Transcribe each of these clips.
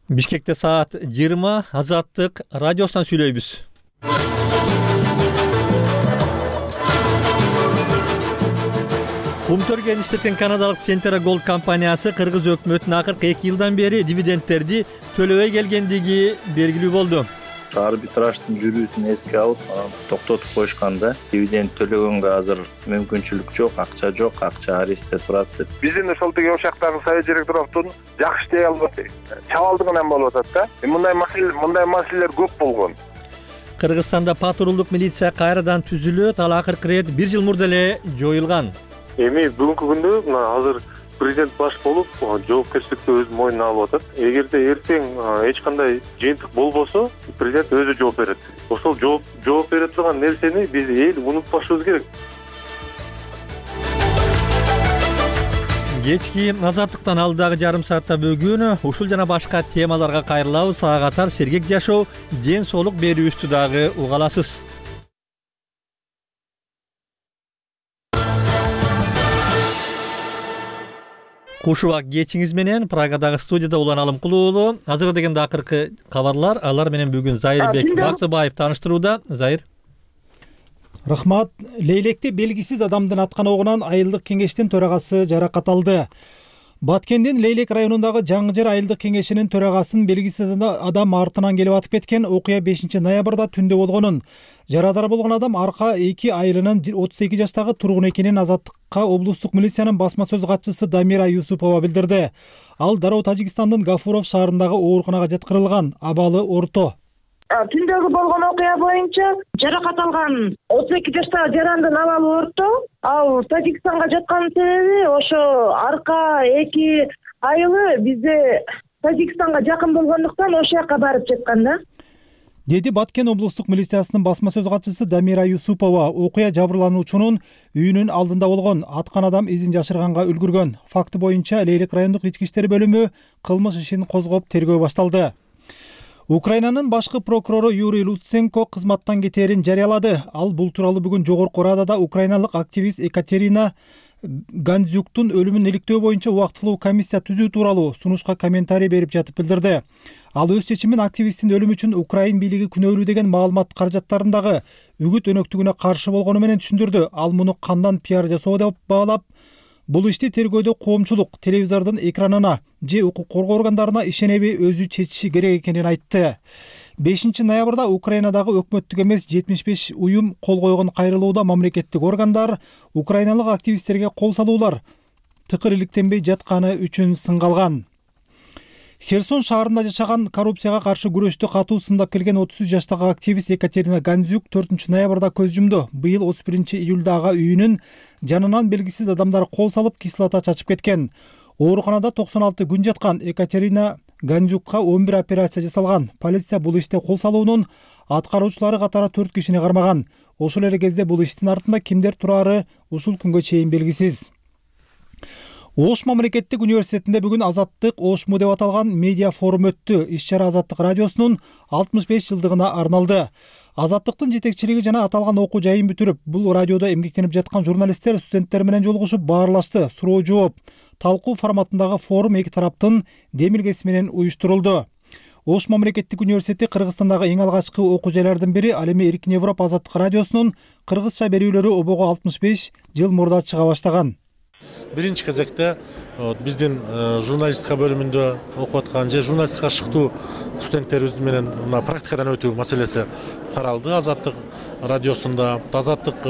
Бишкекте саат 20 Азаттык радиосунан сүйлөйбүз. Кумтөргөн иштеткен канадалык Centera Gold компаниясы кыргыз өкмөтүнө акыркы 2 жылдан бери дивидендтерди төлөбөй келгендиги белгилүү болду. Арбитраждын жүрүүсүн эске алып, токтотуп коюшканда дивиденд төлөгөнгө азыр мүмкүнчүлүк жок, акча арестте турат деп. Биздин ошол теге ошактагы совет директордун жакшы иштей албады. Чабалдыгынан болуп атат да. Мындай маселелер көп болгон. Кыргызстанда патрулдук милиция кайрадан түзүлөт, ал акыркы ирет 1 жыл мурда эле жоюлган. Эми бүгүнкү күндө мына азыр президент баш болуп, жоопкерчиликти өз мойнуна алып атат. Эгерде эртең эч кандай жыйынтык болбосо, президент өзү жооп берет. Ошол жооп бере турган нерсени биз эл унутпашыбыз керек. Кечки Азаттыктан алдагы жарым саатта бүгүн ушул жана башка темаларга кайрылабыз. Ага катар сергек жашоо, ден соолук берүүбүздү дагы уга аласыз. Куш убак кечиңиз менен Прагадагы студияда Улан Алымкулуу уулу. Азыр дегенде акыркы кабарлар, алар менен бүгүн Зайырбек Бактыбаев тааныштырууда. Зайыр. Рахмат. Лейлекте белгисиз адамдын аткан огунан айылдык кеңештин төрагасы жаракат алды. Баткендин Лейлек районундагы Жаңы Жер айылдык кеңешинин төрагасын белгисиз адам артынан келип атып кеткен. Окуя 5 ноябрда түндө болгонун. Жарадар болгон адам арка 2 айылынын 32 жаштагы тургун экенин Азаттыкка облустук милициянын басма сөз катчысы Дамира Юсупова билдирди. Ал дароо Тажикстандын Гафуров шаарындагы ооруканага жаткырылган, абалы орто. Түндөгү болгон окуя боюнча жаракат алган 32 жаштагы жарандын абалы орто. Ал Тажикстанга жаткан себеби ошо арка 2 айылы бизде Тажикстанга жакын болгондуктан ошол жака барып жаткан да. Деди Баткен облустук милициясынын басма сөз катчысы Дамира Юсупова. Окуя жабырлануучунун үйүнүн алдында болгон, аткан адам изин жашырганга үлгүргөн. Факты боюнча Лейлек райондук ички иштер бөлүмү кылмыш ишин козгоп тергөө башталды. Украинанын башкы прокурору Юрий Луценко кызматтан кетээрин жарыялады. Ал бул тууралуу бүгүн Жогорку Радада украиналык активист Екатерина Гандзюктун өлүмүн иликтөө боюнча убактылуу комиссия түзүү тууралуу сунушка комментарий берип жатып билдирди. Ал өз чечимин активисттин өлүмү үчүн Украин бийлиги күнөөлүү деген маалымат каражаттарындагы үгүт өнөктүгүнө каршы болгону менен түшүндүрдү. Ал муну кандан пиар жасоо деп баалап, бул ишти тергөөдө коомчулук телевизордун экранына же укук коргоо органдарына ишенеби өзү чечиши керек экенин айтты. 5 ноябрда Украинадагы өкмөттүк эмес 75 уюм кол койгон кайрылууда мамлекеттик органдар украиналык активисттерге кол салуулар тыкыр иликтенбей жатканы үчүн сынгалган. Херсон шаарында жашаган коррупцияга каршы күрөштү катуу сындап келген 33 жаштагы активист Екатерина Гандзюк 4 ноябрда көз жумду. Быйыл 31 июлдагы үйүнүн жанынан белгисиз адамдар кол салып кислота чачып кеткен. Ооруканада 96 күн жаткан Екатерина Гандзюкка 11 операция жасалган. Полиция бул иште кол салуунун аткаруучулары катары 4 кишини кармаган. Ошол эле кезде бул иштин артында кимдер турары ушул күнгө чейин белгисиз. Ош мамлекеттик университетинде бүгүн Азаттык Ошму деп аталган медиа форум өттү. Иш-чара Азаттык радиосунун 65 жылдыгына арналды. Азаттыктын жетекчилиги жана аталган окуу жайын бүтүрүп, бул радиодо эмгектенип жаткан журналисттер студенттер менен жолугушуп баарлашты. Суроо жооп, талкуу форматындагы форум эки тараптын демилгеси менен уюштурулду. Ош мамлекеттик университети Кыргызстандагы эң алгачкы окуу жайлардын бири. Ал эми Эркин Европа Азаттык радиосунун кыргызча берүүлөрү обого 65 жыл мурда чыга баштаган. Биринчи кезекте биздин журналистика бөлүмүндө окуп аткан же журналистикага шыктуу студенттерибиз менен практикадан өтүү маселеси каралды. Азаттык радиосунда Азаттык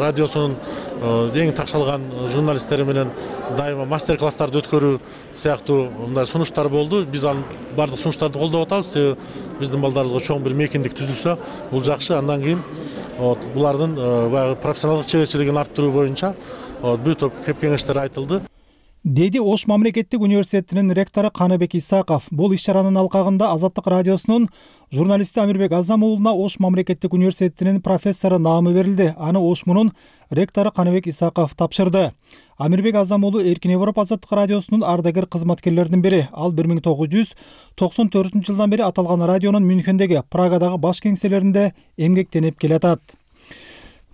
радиосунун эң такшалган журналисттери менен дайыма мастер-класстарды өткөрүү сыяктуу мындай сунуштар болду. Биз анын бардык сунуштарды колдоп атабыз. Биздин балдарыбызга чоң бир мейкиндик түзүлсө, бул жакшы. Андан кийин булардын баягы профессионалдык чеберчилигин арттыруу боюнча бир топ кеңештер айтылды. Деди Ош мамлекеттик университетинин ректору Каныбек Исаков. Бул иш-чаранын алкагында Азаттык радиосунун журналисти Амирбек Азам уулуна Ош мамлекеттик университетинин профессору наамы берилди. Аны Ошмунун ректору Каныбек Исаков тапшырды. Амирбек Азам уулу Эркин Европа Азаттык радиосунун ардагер кызматкерлеринин бири. Ал 1994 жылдан бери аталган радионун Мюнхендеги, Прагадагы баш кеңселеринде эмгектенип келатат.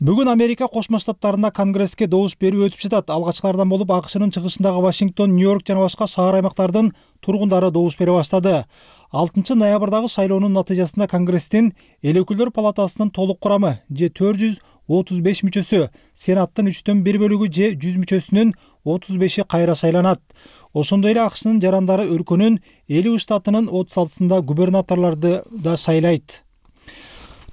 Бүгүн Америка Кошмо Штаттарында Конгресске добуш берүү өтүп жатат. Алгачкылардан болуп АКШнын чыгышындагы Вашингтон, Нью-Йорк жана башка шаар аймактардын тургундары добуш бере баштады. 6 ноябрдагы шайлоонун натыйжасында Конгресстин эл өкүлдөр палатасынын толук курамы же 435 мүчөсү, Сенаттын 3/1 бөлүгү же 100 мүчөсүнүн 35 кайра шайланат. Ошондой эле АКШнын жарандары өлкөнүн 50 штатынын 36-сында губернаторлорду да шайлайт.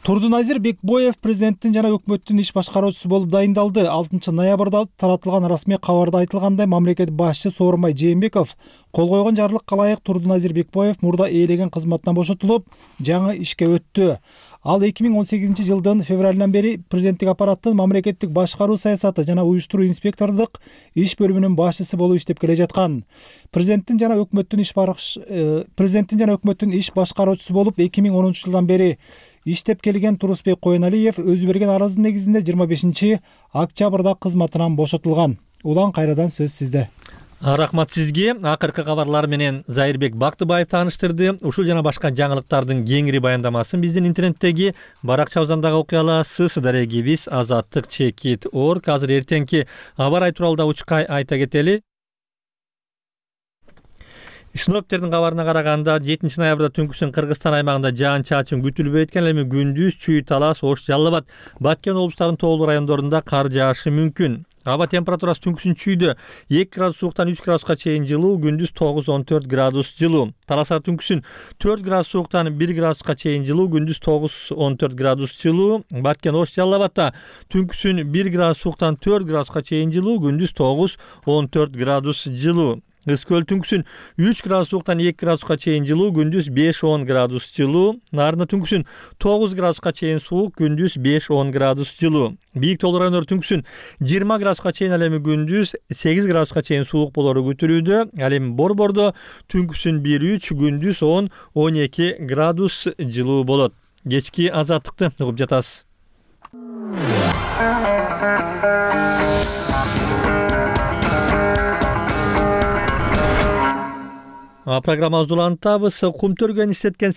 Турдуназир Бекбоев президенттин жана өкмөттүн иш башкаруучусу болуп дайындалды. 6 ноябрда таратылган расмий кабарда айтылгандай, мамлекет башчысы Сооронбай Жээнбеков кол койгон жарлыкка ылайык Турдуназир Бекбоев мурда ээлеген кызматтан бошотулуп, жаңы ишке өттү. Ал 2018 жылдын февралынан бери президенттик аппараттын мамлекеттик башкаруу саясаты жана уюштуруу инспектордук иш бөлүмүнүн башчысы болуп иштеп келе жаткан. Президенттин жана өкмөттүн иш башкаруучусу болуп 2010 жылдан бери иштеп келген Турусбек Коеналиев өзү берген арыздын негизинде 25 октябрда кызматынан бошотулган. Улан, кайрадан сөз сизде. Рахмат сизге. Акыркы кабарлар менен Зайырбек Бактыбаев тааныштырды. Ушул жана башка жаңылыктардын кеңири баяндамасын биздин интернеттеги баракчабыздан дагы окуй аласыз. Дарегибиз azattik.org. Азыр эртеңки аба ырайы тууралуу да учкай айта кетели. Синоптиктердин кабарына караганда 7 ноябрда түнкүсүн Кыргызстан аймагында жаан-чачын күтүлбөй экен, эми күндүз Чүй, Талас, Ош, Жалал Абад, Баткен облустарынын тоолуу райондорунда кар жаашы мүмкүн. Аба температурасы түнкүсүн Чүйдө 2 градус сууктан 3 градуска чейин жылуу, күндүз 9-14 градус жылуу. Таласта түнкүсүн 4 градус сууктан 1 градуска чейин жылуу, күндүз 9-14 градус жылуу. Баткен, Ош, Жалал Абадта түнкүсүн 1 градус сууктан 4 градуска чейин жылуу, күндүз 9-14 градус жылуу. Ыскөл түнкүсүн 3 градус сууктан 2 градуска чейин жылуу, күндүз 5-10 градус жылуу. Нарында түнкүсүн 9 градуска чейин суук, күндүз 5-10 градус жылуу. Бийик тоолуу райондор түнкүсүн 20 градуска чейин, ал эми күндүз 8 градуска чейин суук болору күтүлүүдө. Ал эми Борбордо түнкүсүн 1-3, күндүз 10-12 градус жылуу болот. Кечки азаттыкты угуп жатасыз. Программабызды улантабыз. Кум төргөн иштеткен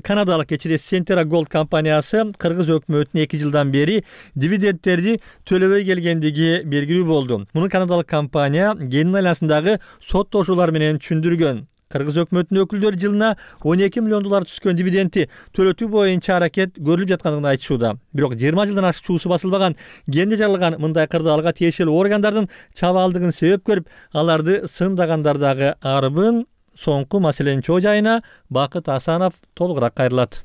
канадалык Centera Gold компаниясы Кыргыз өкмөтүнө 2 жылдан бери дивидендтерди төлөбөй келгендиги белгилүү болду. Муну канадалык компания кенин айланасындагы соттошуулар менен түшүндүргөн. Кыргыз өкмөтүнүн өкүлдөрү жылына 12 миллион доллар түскөн дивидендти төлөтүү боюнча аракет көрүлүп жаткандыгын айтышууда. Бирок 20 жылдан ашык чуусу басылбаган кенде жаралган мындай кырдаалга тиешелүү органдардын чабаалдыгын себеп көрүп, аларды сындагандар дагы арбын. Соңку маселенин чоо жайына Бакыт Асанов толугураак кайрылат.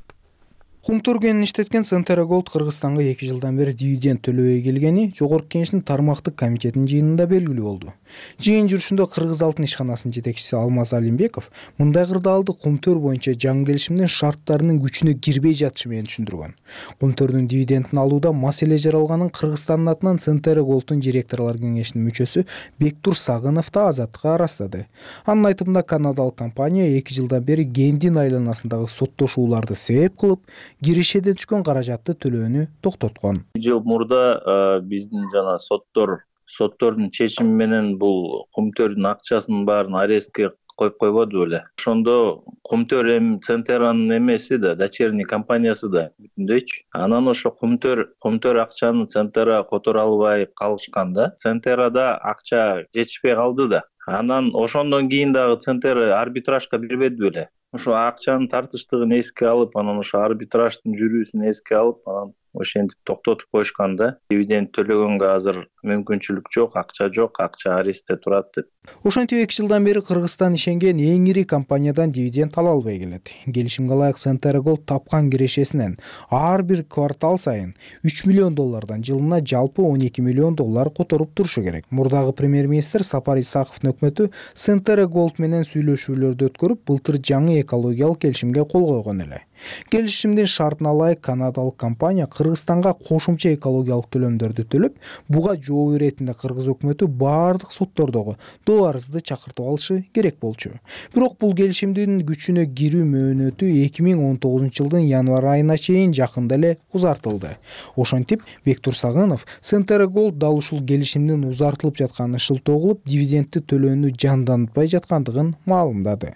Кум төргөнүн иштеткен Centera Gold Кыргызстанга 2 жылдан бери дивиденд төлөбөй келгени Жогорку Кеңештин тармактык комитетинин жыйынында белгилүү болду. Жыйын жүрүшүндө Кыргыз алтын ишканасынын жетекчиси Алмаз Алимбеков мындай кырдаалды кум төр боюнча жаңы келишимдин шарттарынын күчүнө кирбей жатышы менен түшүндүргөн. Кум төрдүн дивидендин алууда маселе жаралганын Кыргызстандын атынан Centera Gold'ун директорлор кеңешинин мүчөсү Бектур Сагынов да Азаттыкка арастады. Анын айтымында канадалык компания 2 жылдан бери кендин айланасындагы соттошууларды себеп кылып, кирешеден түшкөн каражатты төлөөнү токтоткон. Жыл мурда биздин жана соттордун чечими менен бул кумтөрдүн акчасынын баарын арестке коюп койбоду беле. Ошондо кумтөр эми Centera'нын эмеси да, дочерний компаниясы да бүтүндөйчү. Анан ошо кумтөр акчаны Centera которо албай калышканда, Centera'да акча жетишпей калды да. Анан ошондон кийин дагы Centera арбитражга бербеди беле. Ошо акчанын тартыштыгын эске алып, анан ошо арбитраждын жүрүүсүн эске алып, анан ошентип токтотуп коюшканда, дивиденд төлөгөнгө азыр мүмкүнчүлүк жок, акча арестте турат деп. Ошентип 2 жылдан бери Кыргызстан ишенген эң ири компаниядан дивиденд ала албай келет. Келишимге ылайык Centera Gold тапкан кирешесинен ар бир квартал сайын 3 миллион доллардан жылына жалпы 12 миллион доллар которуп турушу керек. Мурдагы премьер-министр Сапар Исаковдун өкмөтү Centera Gold менен сүйлөшүүлөрдү өткөрүп, былтыр жаңы экологиялык келишимге кол койгон эле. Келишимдин шартына ылайык канадалык компания Кыргызстанга кошумча экологиялык төлөмдөрдү төлөп, буга жооп иретинде Кыргыз өкмөтү баардык соттордогу доо арызды чакыртып алышы керек болчу. Бирок бул келишимдин күчүнө кирүү мөөнөтү 2019 жылдын январь айына чейин жакында эле узартылды. Ошентип, Бектур Сагынов Centera Gold дал ушул келишимдин узартылып жатканын шылтоо кылып, дивидендти төлөөнү жандантпай жаткандыгын маалымдады.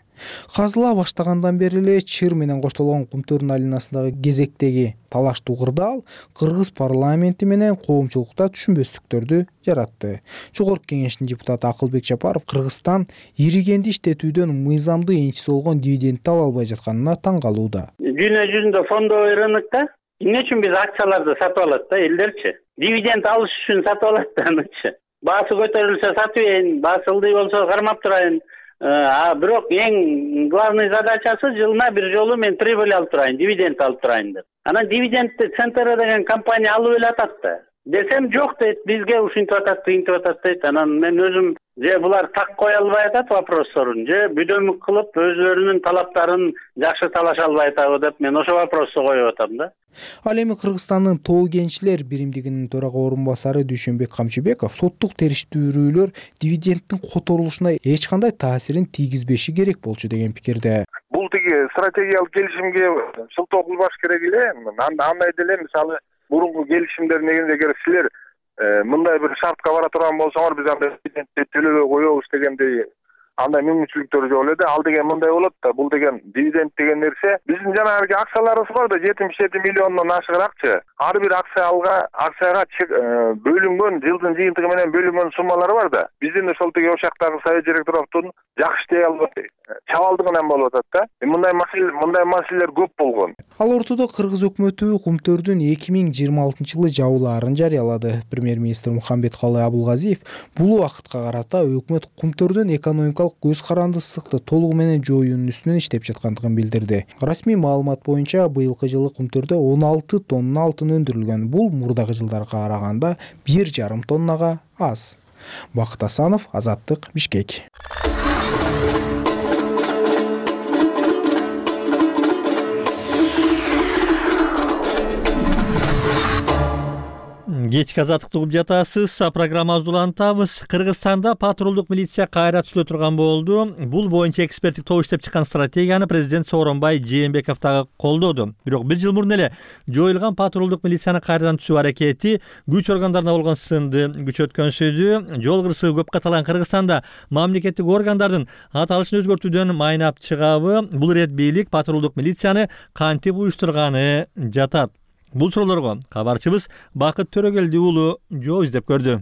Казыла баштагандан бери эле чыр менен коштолгон Кумтөрдүн айланасындагы кезектеги талаштуу кырдаал кыргыз парламенти менен коомчулукта түшүнбөстүктөрдү жаратты. Жогорку кеңештин депутаты Акылбек Жапаров Кыргызстан иригенди иштетүүдөн мыйзамдуу энчиси болгон дивидендти ала албай жатканына таң калууда. Дүйнө жүзүндө фондовый рынокто эмне үчүн биз акцияларды сатып алат да элдерчи? Дивиденд алыш үчүн сатып алат да анычы. Баасы көтөрүлсө сатып ийин, баасы ылдый болсо кармап турайын. Бирок эң главный задачасы жылына бир жолу мен прибыль алып турайын, дивиденд алып турайын деп. Анан дивидендти Центра деген компания алып эле атат да. Десем жок дейт, бизге ушинтип атат, тыйынтип атат дейт. Анан мен өзүм же булар так кое албай атат вопросторун, же бүдөмүк кылып өзлөрүнүн талаптарын жакшы талаша албай атабы деп мен ошо вопросту коюп атам да. Ал эми Кыргызстандын Тоо кенчилер биримдигинин төрага орун басары Дүйшөнбек Камчыбеков соттук териштирүүлөр дивидендтин которулушуна эч кандай таасирин тийгизбеши керек болчу деген пикирде. Бул тиги стратегиялык келишимге шылтоо кылбаш керек эле. Андай деле мисалы мурунку келишимдер негизинде эгер силер мындай бир шартка бара турган болсоңор биз андай дивидендти төлөбөй коебуз дегендей андай мүмкүнчүлүктөр жок эле да. Ал деген мындай болот да. Бул деген дивиденд деген нерсе биздин жанагы акцияларыбыз бар да 77 миллиондон ашыгыракчы. Ар бир акцияга бөлүнгөн жылдын жыйынтыгы менен бөлүнгөн суммалар бар да. Биздин ошол тиги ошактагы совет директоровдун жакшы иштей албай чабалдыгынан болуп атат да. Мындай маселелер көп болгон. Ал ортодо Кыргыз өкмөтү Кумтөрдүн 2026-жылы жабылаарын жарыялады. Премьер-министр Мухамбеткалый Абулгазиев бул убакытка карата өкмөт Кумтөрдүн экономикалык көз карандысыздыкты толугу менен жоюунун үстүнөн иштеп жаткандыгын билдирди. Расмий маалымат боюнча быйылкы жылы Кумтөрдө 16 тонна алтын өндүрүлгөн. Бул мурдагы жылдарга караганда 1,5 тоннага аз. Бакыт Асанов, Азаттык, Бишкек. Кечки азаттыкты угуп жатасыз. Программабызды улантабыз. Кыргызстанда патрулдук милиция кайра түзүлө турган болду. Бул боюнча эксперттик топ иштеп чыккан стратегияны президент Сооронбай Жээнбеков дагы колдоду. Бирок бир жыл мурун эле жоюлган патрулдук милицияны кайрадан түзүү аракети күч органдарына болгон сынды күч өткөнсүдү. Жол кырсыгы көп каталган Кыргызстанда мамлекеттик органдардын аталышын өзгөртүүдөн майнап чыгабы? Бул ирет бийлик патрулдук милицияны кантип уюштурганы жатат? Бул суроолорго кабарчыбыз Бакыт Төрөгелди уулу жооп издеп көрдү.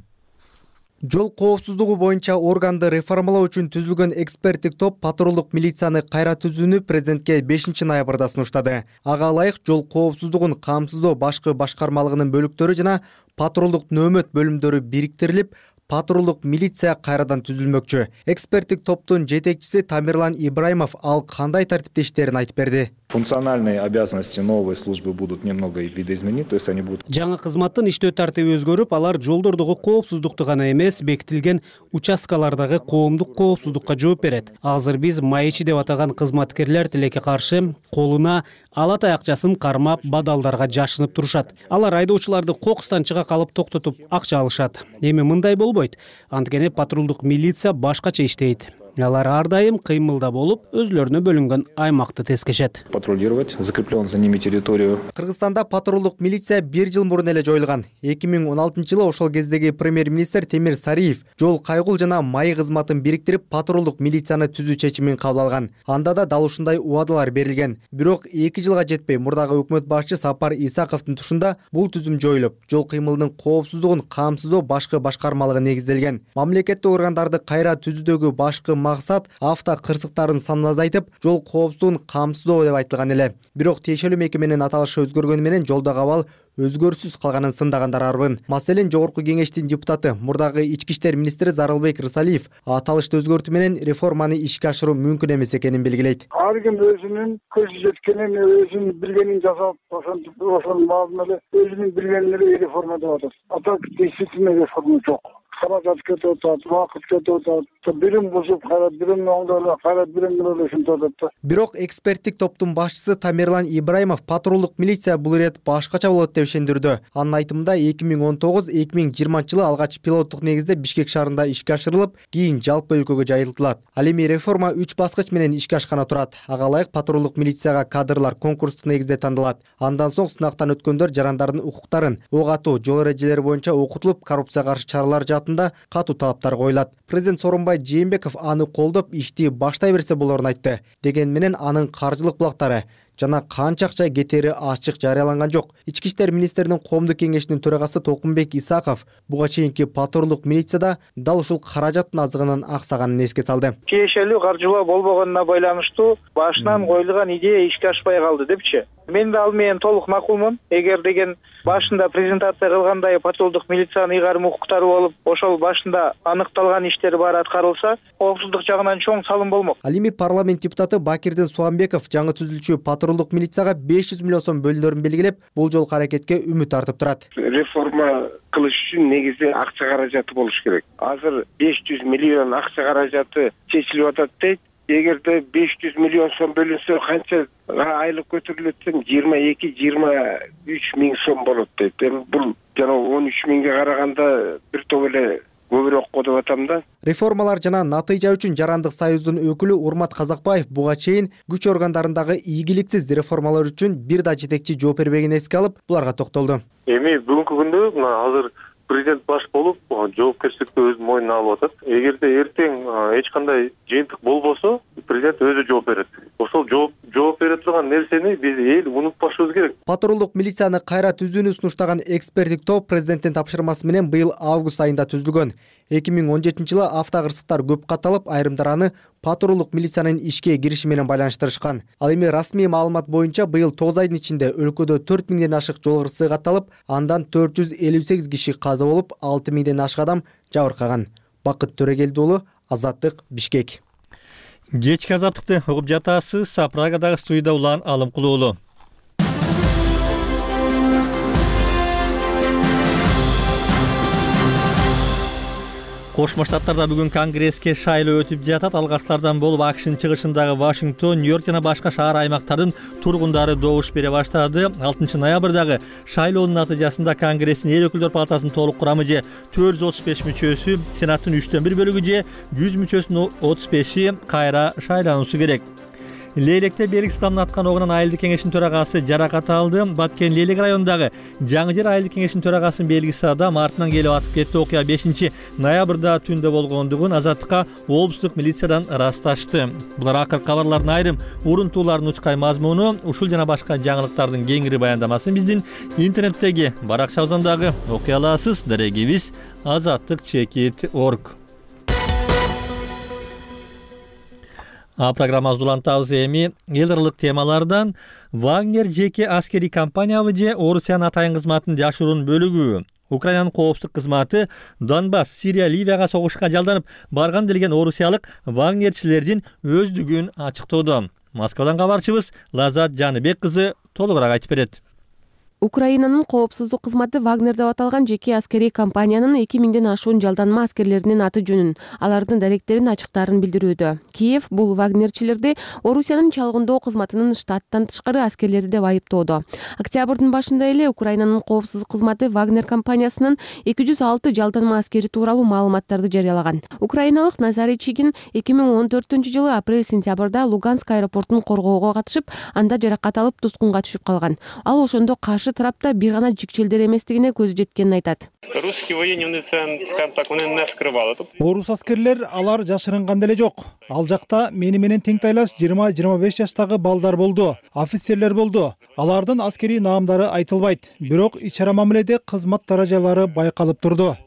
Жол коопсуздугу боюнча органды реформалоо үчүн түзүлгөн эксперттик топ патрулдук милицияны кайра түзүүнү президентке 5-ноябрда сунуштады. Ага ылайык жол коопсуздугун камсыздоо башкы башкармалыгынын бөлүктөрү жана патрулдук нөөмөт бөлүмдөрү бириктирилип, патрулдук милиция кайрадан түзүлмөкчү. Эксперттик топтун жетекчиси Тамерлан Ибраимов ал кандай тартипте иштерин айтып берди. Функциональные обязанности новой службы будут немного видоизменены, то есть они будут. Жаңы кызматтын иштөө тартиби өзгөрүп, алар жолдордогу коопсуздукту гана эмес, бекитилген участкалардагы коомдук коопсуздукка жооп берет. Азыр биз майчи деп атаган кызматкерлер тилекке каршы колуна ала таякчасын кармап, бадалдарга жашынып турушат. Алар айдоочуларды кокустан чыга калып токтотуп акча алышат. Эми мындай болбойт. Анткени патрулдук милиция башкача иштейт. Алар ар дайым кыймылда болуп, өзлөрүнө бөлүнгөн аймакты тескешет. Патрулировать закреплен за ними территорию. Кыргызстанда патрулдук милиция 1 жыл мурун эле жоюлган. 2016-жылы ошол кездеги премьер-министр Темир Сариев жол кайгул жана май кызматын бириктирип патрулдук милицияны түзүү чечимин кабыл алган. Анда да дал ушундай убадалар берилген. Бирок 2 жылга жетпей мурдагы өкмөт башчы Сапар Исаковдун тушунда бул түзүм жоюлуп, жол кыймылынын коопсуздугун камсыздоо башкы башкармалыгы негизделген. Мамлекеттик органдарды кайра түзүүдөгү башкы максат авто кырсыктарын санын азайтып, жол коопсуздугун камсыздоо деп айтылган эле. Бирок тиешелүү мекеменин аталышы өзгөргөнү менен жолдогу абал өзгөрүсүз калганын сындагандар арбын. Маселен, жогорку кеңештин депутаты, мурдагы ички иштер министри Зарылбек Рысалиев аталышты өзгөртүү менен реформаны ишке ашыруу мүмкүн эмес экенин белгилейт. Ар ким өзүнүн көзү жеткенин, өзүнүн билгенин жасап, ошонун баарын эле өзүнүн билгенин эле реформа деп атат. А так действительно реформа жок. Каражат кетип атат, убакыт кетип атат, бирин бузуп, кайра бирин оңдоп, кайра бирин менен ушинтип атат. Бирок эксперттик топтун башчысы Тамерлан Ибраимов патрулдук милиция бул ирет башкача болот деп ишендирди. Анын айтымында 2019-2020-жылы алгач пилоттук негизде Бишкек шаарында ишке ашырылып, кийин жалпы өлкөгө жайылтылат. Ал эми реформа 3 баскыч менен ишке ашканы турат. Ага ылайык патрулдук милицияга кадрлар конкурстук негизде тандалат. Андан соң сынактан өткөндөр жарандардын укуктарын, ок атуу, жол эрежелери боюнча окутулуп, коррупцияга каршы чаралар маалыматында катуу талаптар коюлат. Президент Сооронбай Жээнбеков аны колдоп ишти баштай берсе болорун айтты. Деген менен анын каржылык булактары жана канча акча кетери ачык жарыяланган жок. Ички иштер министринин коомдук кеңешинин төрагасы Толкунбек Исаков буга чейинки патрулдук милицияда дал ушул каражаттын азыгынын аксаганын эске салды. Тиешелүү каржылоо болбогонуна байланыштуу башынан коюлган идея ишке ашпай калды депчи. Мен да ал менен толук макулмун. Эгер деген башында презентация кылгандай патрулдук милициянын ыйгарым укуктары болуп, ошол башында аныкталган иштер баары аткарылса, коопсуздук жагынан чоң салым болмок. Ал эми парламент депутаты Бакирдин Суамбеков жаңы түзүлчү патрулдук милицияга 500 миллион сом бөлүнөрүн белгилеп, бул жолку аракетке үмүт артып турат. Реформа кылыш үчүн негизи акча каражаты болуш керек. Азыр 500 миллион акча каражаты чечилип атат дейт. Эгерде 500 миллион сом бөлүнсө канча айлык көтөрүлөт десем 22-23 миң сом болот дейт. Эми бул жана 13 миңге караганда бир топ эле көбүрөөк го деп атам да. Реформалар жана натыйжа үчүн Жарандык союздун өкүлү Урмат Казакбаев буга чейин күч органдарындагы ийгиликсиз реформалар үчүн бир да жетекчи жооп бербегенин эске алып, буларга токтолду. Эми бүгүнкү күндө азыр президент баш болуп, жоопкерчиликти өз мойнуна алып атат. Эгерде эртең эч кандай жыйынтык болбосо, президент өзү жооп берет. Ошол жооп бере турган нерсени биз эл унутпашыбыз керек. Патрулдук милицияны кайра түзүүнү сунуштаган эксперттик топ президенттин тапшырмасы менен быйыл август айында түзүлгөн. 2017-жылы автокырсыктар көп катталып, айрымдар аны патрулдук милициянын ишке кириши менен байланыштырышкан. Ал эми расмий маалымат боюнча быйыл 9 айдын ичинде өлкөдө 4 миңден ашык жол кырсыгы катталып, андан 458 киши каза болуп, 6 миңден ашык адам жабыркаган. Бакыт Төрөгелди уулу, Азаттык, Бишкек. Кечки азаттыкты угуп жатасыз. Прагадагы студияда Улан Алымкулуу уулу. Кошмо Штаттарда бүгүн конгресске шайлоо өтүп жатат. Алгачтардан болуп АКШнын чыгышындагы Вашингтон, Нью-Йорк жана башка шаар аймактардын тургундары добуш бере баштады. 6 ноябрдагы шайлоонун натыйжасында Конгресстин эл өкүлдөр палатасынын толук курамы же 435 мүчөсү, Сенаттын 3/1 бөлүгү же 100 мүчөсүнүн 35и кайра шайлануусу керек. Лейлекте белгисиз адамдын аткан огунан айылдык кеңештин төрагасы жаракат алды. Баткен Лейлек районундагы Жаңы Жер айылдык кеңештин төрагасынын белгисиз адам артынан келип атып кетти. Окуя 5 ноябрда түндө болгондугун Азаттыкка облустук милициядан ырасташты. Булар акыркы кабарлардын айрым урунтууларынын учкай мазмуну, ушул жана башка жаңылыктардын кеңири баяндамасын биздин интернеттеги баракчабыздагы окуй аласыз. Дарегибиз azattik.org. Программабызды улантабыз эми эл аралык темалардан. Вагнер жеке аскерий компаниябы же Орусиянын атайын кызматынын жашыруун бөлүгү? Украинанын коопсуздук кызматы Донбасс, Сирия, Ливияга согушка жалданып барган делген орусиялык вагнерчилердин өздүгүн ачыктоодо. Москвадан кабарчыбыз Лазат Жаныбек кызы толугураак айтып берет. Украинанын коопсуздук кызматы Вагнер деп аталган жеке аскерий компаниянын 2000ден ашуун жалданма аскерлеринин аты жөнүн, алардын даректерин ачыктаарын билдирүүдө. Киев бул вагнерчилерди Орусиянын чалгындоо кызматынын штаттан тышкары аскерлери деп айыптоодо. Октябрдын башында эле Украинанын коопсуздук кызматы Вагнер компаниясынын 206 жалданма аскери тууралуу маалыматтарды жарыялаган. Украиналык Назарий Чигин 2014-жылы апрель-сентябрда Луганск аэропортун коргоого катышып, анда жаракат алып туткунга түшүп калган. Ал ошондо каршы тарапта бир гана жикчелдер эместигине көзү жеткенин айтат. Русский военный центр, скажем так, он не скрывал. Орус аскерлер алар жашырынган деле жок. Ал жакта мени менен теңтайлаш 20-25 жаштагы балдар болду, офицерлер болду. Алардын аскерий наамдары айтылбайт, бирок ич-ара мамиледе кызмат даражалары байкалып турду.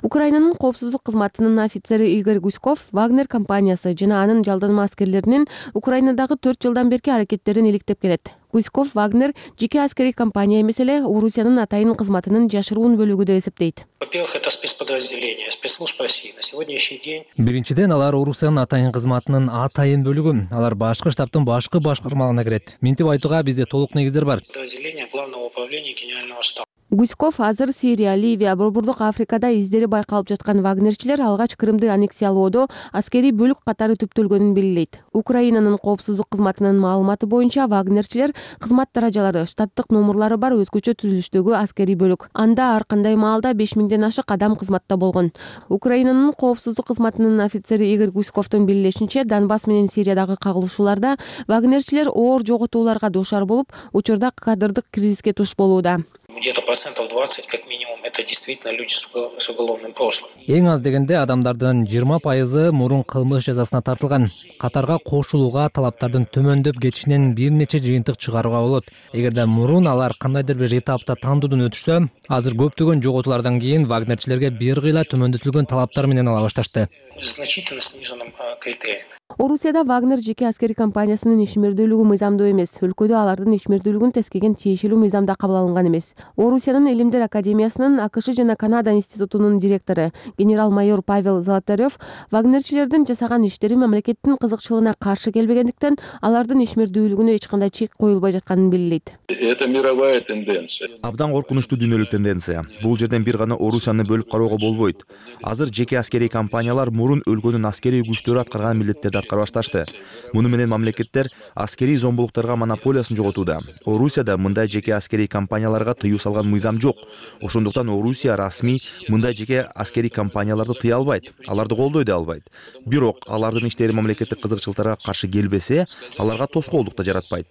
Украинанын коопсуздук кызматынын офицери Игорь Гуськов Вагнер компаниясы жана анын жалданма аскерлеринин Украинадагы 4 жылдан берки аракеттерин иликтеп келет. Гуськов Вагнер жеке аскерий компания эмес эле Орусиянын атайын кызматынын жашыруун бөлүгү деп эсептейт. Во-первых, это спецподразделение, спецслужб России. На сегодняшний день... Биринчиден, алар Орусиянын атайын кызматынын атайын бөлүгү. Алар башкы штабтын башкы башкармалыгына кирет. Минтип айтууга бизде толук негиздер бар. Подразделение Главного управления Генерального штаба. Гуськов азыр Сирия, Ливия, Борбордук Африкада издери байкалып жаткан вагнерчилер алгач Крымды аннексиялоодо аскерий бөлүк катары түптөлгөнүн белгилейт. Украинанын коопсуздук кызматынын маалыматы боюнча вагнерчилер кызмат даражалары, штаттык номурлары бар өзгөчө түзүлүштөгү аскерий бөлүк. Анда ар кандай маалда 5000ден ашык адам кызматта болгон. Украинанын коопсуздук кызматынын офицери Игорь Гуськовдун билдиришинче, Донбасс менен Сириядагы кагылышууларда вагнерчилер оор жоготууларга дуушар болуп, учурда кадрдык кризиске туш болууда. Где-то 20% как минимум это действительно люди с уголовным прошлым. Эң аз дегенде адамдардын 20% мурун кылмыш жазасына тартылган. Катарга кошулууга талаптардын төмөндөп кетишинен бир нече жыйынтык чыгарууга болот. Эгерде мурун алар кандайдыр бир этапта тандоодон өтүшсө, азыр көптөгөн жоготуулардан кийин вагнерчилерге бир кыйла төмөндөтүлгөн талаптар менен ала башташты. Значительно сниженным критерием. Орусияда Вагнер жеке аскери компаниясынын ишмердүүлүгү мыйзамдуу эмес. Өлкөдө алардын ишмердүүлүгүн тескеген тиешелүү мыйзамда кабыл алынган эмес. Орусиянын Илимдер академиясынын АКШ жана Канада институтунун директору генерал-майор Павел Золотарев вагнерчилердин жасаган иштери мамлекеттин кызыкчылыгына каршы келбегендиктен алардын ишмердүүлүгүнө эч кандай чек коюлбай жатканын белгилейт. Это мировая тенденция. Абдан коркунучтуу дүйнөлүк тенденция. Бул жерден бир гана Орусияны бөлүп кароого болбойт. Азыр жеке аскерий компаниялар мурун өлкөнүн аскерий күчтөрү аткарган милдеттерди аткара башташты. Муну менен мамлекеттер аскерий зомбулуктарга монополиясын жоготууда. Орусияда мындай жеке аскерий компанияларга тыюу салган мыйзам жок. Ошондуктан Орусия расмий мындай жеке аскерий компанияларды тыя албайт, аларды колдой да албайт. Бирок алардын иштери мамлекеттик кызыкчылыктарга каршы келбесе, аларга тоскоолдук да жаратпайт.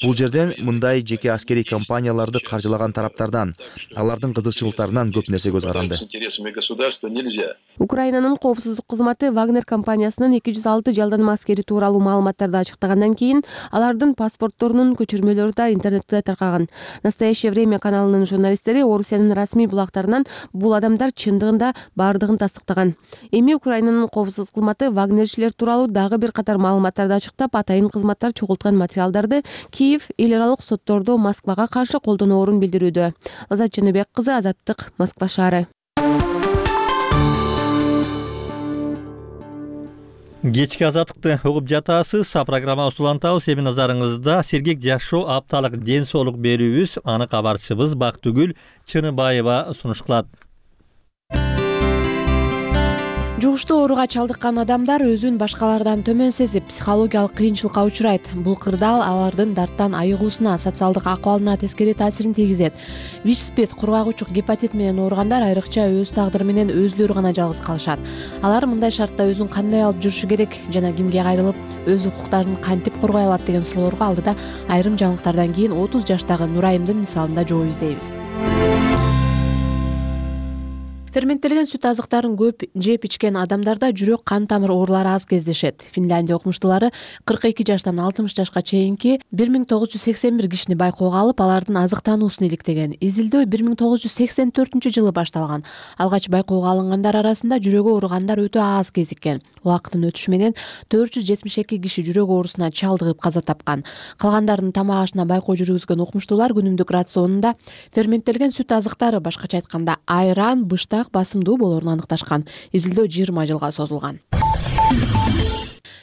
Бул жерден мындай жеке аскерий компанияларды каржылаган тараптардан, алардын кызыкчылыктарынан көп нерсе көз каранды. Украинанын коопсуздук кызматы Вагнер компаниясынын 206 жалданма аскери тууралуу маалыматтарды ачыктагандан кийин алардын паспортторунун көчүрмөлөрү да интернетте таркаган. Настоящее время каналынын журналисттери Орусиянын расмий булактарынан бул адамдар чындыгында бардыгын тастыктаган. Эми Украинанын коопсуздук кызматы вагнерчилер тууралуу дагы бир катар маалыматтарды ачыктап, атайын кызматтар чогулткан материалдарды Киев эл аралык соттордо Москвага каршы колдоноорун билдирүүдө. Азат Жаныбек кызы, Азаттык, Москва шаары. Кечки азаттыкты угуп жатасыз. Программабызды улантабыз. Эми назарыңызда сергек жашоо, апталык ден соолук берүүбүз. Аны кабарчыбыз Бактыгүл Чыныбаева сунуш кылат. Жугуштуу ооруга чалдыккан адамдар өзүн башкалардан төмөн сезип, психологиялык кыйынчылыкка учурайт. Бул кырдаал алардын дарттан айыгуусуна, социалдык акыбалына тескери таасирин тийгизет. ВИЧ-СПИД, кургагучук гепатит менен ооругандар айрыкча өз тагдыры менен өзүлөрү гана жалгыз калышат. Алар мындай шартта өзүн кандай алып жүрүшү керек жана кимге кайрылып, өз укуктарын кантип коргой алат деген суроолорго алдыда айрым жаңылыктардан кийин 30 жаштагы Нурайымдын мисалында жооп издейбиз. Ферменттелген сүт азыктарын көп жеп ичкен адамдарда жүрөк кан тамыр оорулары аз кездешет. Финляндия окумуштуулары 42 жаштан 60 жашка чейинки 1981 кишини байкоого алып, алардын азыктануусун иликтеген. Изилдөө 1984-жылы башталган. Алгач байкоого алынгандар арасында жүрөгү ооругандар өтө аз кезиккен. Убакыттын өтүшү менен 472 киши жүрөк оорусуна чалдыгып каза тапкан. Калгандардын тамак ашына байкоо жүргүзгөн окумуштуулар күнүмдүк рационунда ферменттелген сүт азыктары, башкача айтканда айран, быштак басымдуу болоорун аныкташкан. Изилдөө 20 жылга созулган.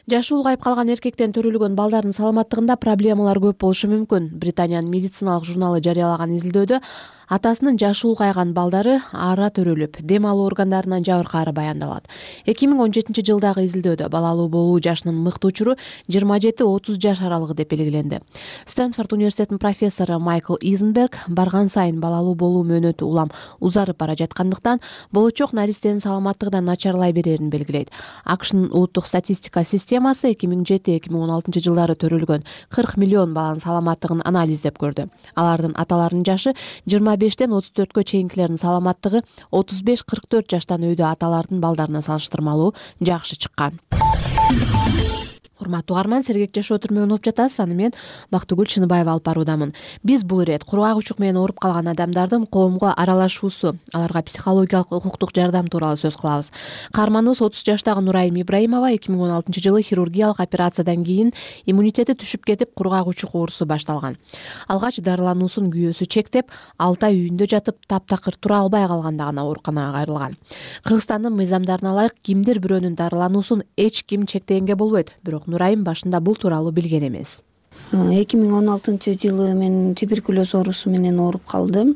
Жашы улгайып калган эркектен төрөлгөн балдардын саламаттыгында проблемалар көп болушу мүмкүн. Британиянын медициналык журналы жарыялаган изилдөөдө атасынын жашы улгайган балдары ара төрөлүп, дем алуу органдарынан жабыркаары баяндалат. 2017 жылдагы изилдөөдө балалуу болуу жашынын мыкты учуру 27-30 жаш аралыгы деп белгиленди. Стэнфорд университетинин профессору Майкл Изенберг барган сайын балалуу болуу мөөнөтү улам узарып бара жаткандыктан болочок наристенин саламаттыгы да начарлай берерин белгилейт. AQShnын улуттук статистика системасы 2007-2016 жылдары төрөлгөн 40 миллион баланын саламаттыгын анализдеп көрдү. Алардын аталарынын жашы 25-тен 34-кө чейинкилердин саламаттыгы 35-44 жаштан өйдө аталардын балдарына салыштырмалуу жакшы чыккан. Урматтуу угарман, сергек жашоо түрмөгүн угуп жатасыз. Аны мен Бактыгүл Чыныбаева алып баруудамын. Биз бул ирет кургагучук менен ооруп калган адамдардын коомго аралашуусу, аларга психологиялык укуктук жардам тууралуу сөз кылабыз. Каарманыбыз 30 жаштагы Нурайым Ибраимова 2016 жылы хирургиялык операциядан кийин иммунитети түшүп кетип, кургагучук оорусу башталган. Алгач дарылануусун күйөөсү чектеп, 6 ай үйүндө жатып, таптакыр тура албай калганда гана ооруканага кайрылган. Кыргызстандын мыйзамдарына ылайык кимдир бирөөнүн дарылануусун эч ким чектегенге болбойт. Бирок Нурайым башында бул тууралуу билген эмес. 2016 жылы мен туберкулез оорусу менен ооруп калдым.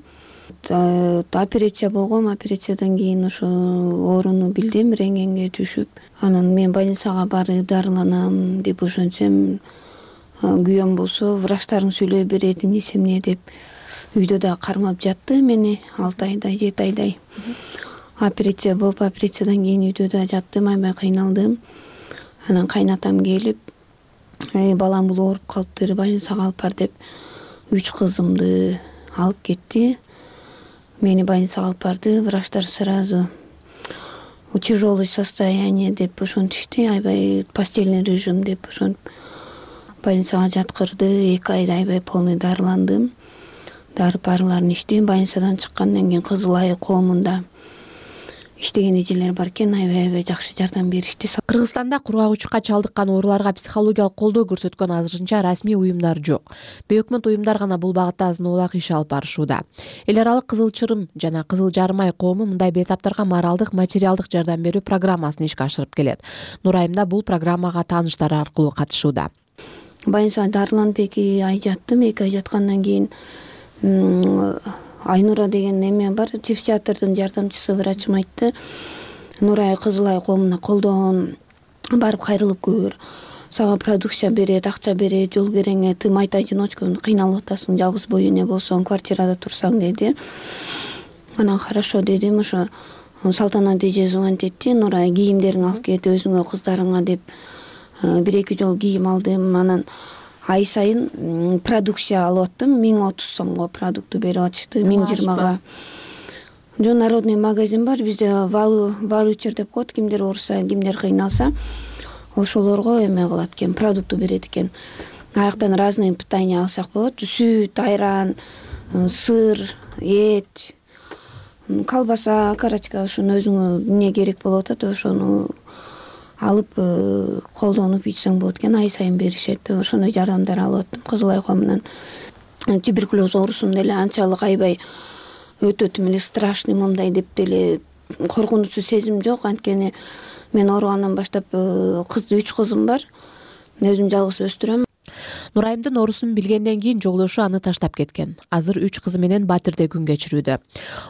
Операция болгом, операциядан кийин ошо ооруну билдим, рентгенге түшүп, анан мен больницага барып дарыланам деп ошентсем, күйөөм болсо врачтарың сүйлөй берет эмнесе эмне деп үйдө да кармап жатты мени 6 айдай, 7 айдай. Операция болуп, операциядан кийин үйдө да жаттым, аябай кыйналдым. Анан кайнатам келип, балам бул ооруп калыптыр, больницага алып бар деп 3 кызымды алып кетти. Мени больницага алып барды. Врачтар сразу тяжелое состояние деп ошентишти. Аябай постельный режим деп ошентип больницага жаткырды. 2 айда аябай полный дарыландым. Дары-парыларын иштейм. Больницадан чыккандан кийин Кызыл Ай коомунда иштеген эжелер бар экен, аябай жакшы жардам беришти. Кыргызстанда кургагычка чалдыккан ооруларга психологиялык колдоо көрсөткөн азырынча расмий уюмдар жок. Бейөкмөт уюмдар гана бул багытта азын-оолак иш алып барышууда. Эл аралык Кызыл Чырым жана Кызыл Жарым Ай коому мындай бейтаптарга моралдык, материалдык жардам берүү программасын ишке ашырып келет. Нурайымда бул программага тааныштары аркылуу катышууда. Больницада дарыланып 2 ай жаттым. 2 ай жаткандан кийин Айнура деген эме бар, психиатрдын жардамчысы врачым айтты. Нурай Кызыл Ай коомуна колдоон барып кайрылып көр. Сага продукция берет, акча берет, жол кереңе, ты майта-одиночка кыйналып атасың, жалгыз бой эне болсоң, квартирада турсаң деди. Анан хорошо дедим. Ошо Салтанат эже звонить этти. Нурай кийимдериңди алып кет өзүңө, кыздарыңа деп 1-2 жол кийим алдым. Анан ай сайын продукция алып аттым. 1030 сомго продукту берип атышты. 1020га. Жо народный магазин бар бизде, валучер деп коет. Кимдер ооруса, кимдер кыйналса, ошолорго эме кылат экен, продукту берет экен. Аяктан разные питания алсак болот. Сүт, айран, сыр, эт, колбаса, карачка, ошону өзүңө эмне керек болуп атат, ошону алып колдонуп ичсең болот экен. Ай сайын беришет. Ошондой жардамдар алып аттым Кызыл Ай коомунан. Туберкулез оорусун деле анчалык аябай өтөтүм эле страшный мындай деп деле коркунучсу сезим жок. Анткени мен ооругандан баштап 3 кызым бар. Өзүм жалгыз өстүрөм. Нурайымдын оорусун билгенден кийин жолдошу аны таштап кеткен. Азыр 3 кызы менен Батирде күн кечирүүдө.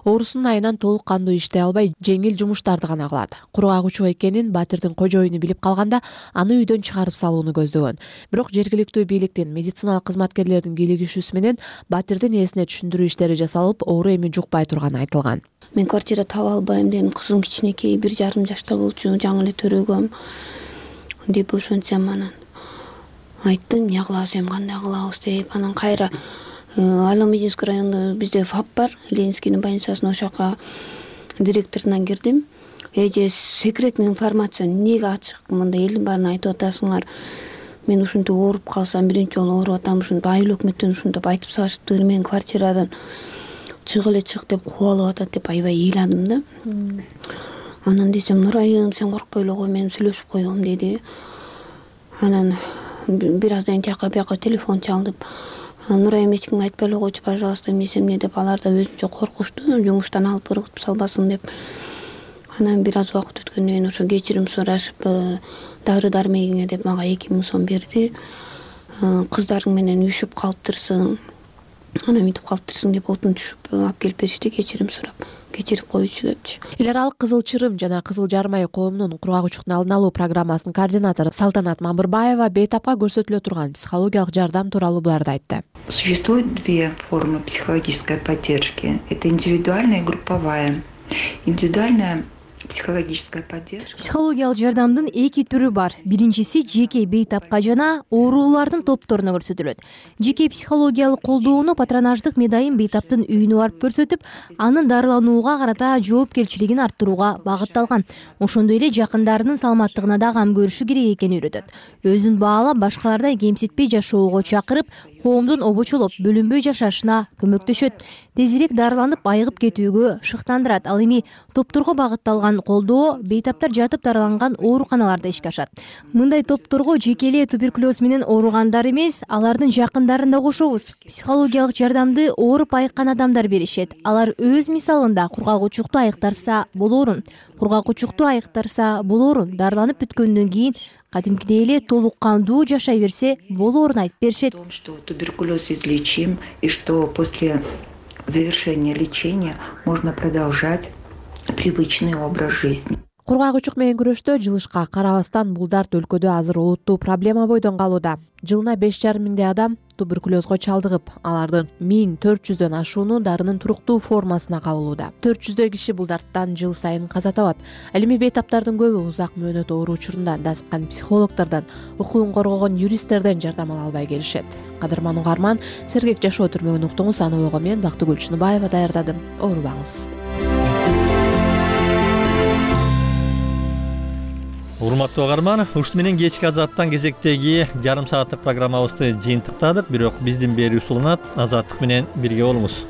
Оорусунун айынан толук кандуу иштей албай, жеңил жумуштарды гана кылат. Кургагычуу экенин Батирдин кожоюну билип калганда, аны үйдөн чыгарып салууну көздөгөн. Бирок жергиликтүү бийликтин, медициналык кызматкерлердин кийлигишүүсү менен Батирдин ээсине түшүндүрүү иштери жасалып, оору эми жукпай турганы айтылган. Мен квартира таба албайм дедим. Кызым кичинекей, 1,5 жашта болчу, жаңы эле төрөгөм деп ошентсем, анан айттым, эмне кылабыз, эми кандай кылабыз деп. Анан кайра Аломединский районунда бизде ФАП бар, Ленинскийдин больницасына, ошол жака директоруна кирдим. Эже секретный информация эмнеге ачык, мындай элдин баарына айтып атасыңар. Мен ушинтип ооруп калсам, биринчи жолу ооруп атам, ушинтип айыл өкмөттөн ушинтип айтып салышыптыр, мен квартирадан чык эле чык деп кубалып атат деп аябай ыйладым да. Анан десем, Нурайым, сен коркпой эле кой, мен сүйлөшүп коем деди. Анан бир аздан тияка бияка телефон чалдып, Нурайым эч кимге айтпай эле койчу, пожалуйста, эмне деп, алар да өзүнчө коркушту, жумуштан алып ыргытып салбасын деп. Анан бир аз убакыт өткөндөн кийин ошо кечирим сурашып, дары-дармегиңе деп мага 2000 сом берди. Кыздарың менен үшүп калыптырсың, анан мынтип калыптырсың деп отун түшүп алып келип беришти, кечирим сурап, кечирип коючу депчи. Эл аралык Кызыл Чырым жана Кызыл Жарым Ай коомунун кургагычтын алдын алуу программасынын координатору Салтанат Мамырбаева бейтапка көрсөтүлө турган психологиялык жардам тууралуу буларды айтты. Существует 2 формы психологической поддержки. Это индивидуальная и групповая. Индивидуальная психологическая поддержка. Психологиялык жардамдын 2 түрү бар. Биринчиси жеке бейтапка жана оорулардын топторуна көрсөтүлөт. Жеке психологиялык колдоону патронаждык медайым бейтаптын үйүнө барып көрсөтүп, анын дарыланууга карата жоопкерчилигин арттырууга багытталган. Ошондой эле жакындарынын саламаттыгына да кам көрүшү керек экенин үйрөтөт. Өзүн баалап, башкалардай кемситпей жашоого чакырып, коомдун обочолоп, бөлүнбөй жашашына көмөктөшөт. Тезирээк дарыланып, айыгып кетүүгө шыктандырат. Ал эми топторго багытталган колдоо бейтаптар жатып дарыланган ооруканаларда ишке ашат. Мындай топторго жеке эле туберкулез менен ооругандар эмес, алардын жакындарын да кошобуз. Психологиялык жардамды ооруп айыккан адамдар беришет. Алар өз мисалында кургагычукту айыктарса болоорун, кургагычукту айыктарса болоорун, дарыланып бүткөндөн кийин кадимкидей эле толук кандуу жашай берсе болоорун айтып беришет. Что туберкулез излечим и что после завершения лечения можно продолжать привычный образ жизни. кургак учук менен күрөштө жылышка карабастан бул дарт өлкөдө азыр олуттуу проблема бойдон калууда. Жылына 5,5 миңдей адам туберкулезго чалдыгып, алардын 1400дөн ашууну дарынын туруктуу формасына кабылууда. 400дөй киши бул дарттан жыл сайын каза табат. Ал эми бейтаптардын көбү узак мөөнөт оору учурунда дасыккан психологдордон, укугун коргогон юристтерден жардам ала албай келишет. Кадырман угарман, сергек жашоо түрмөгүн уктуңуз. Аны ойго мен Бактыгүл Чыныбаева даярдадым. Оорубаңыз. Урматтуу угарман, ушун менен кечки Азаттан кезектеги жарым сааттык программабызды жыйынтыктадык. Бирок биздин берүүбүз уланат. Азаттык менен бирге болуңуз.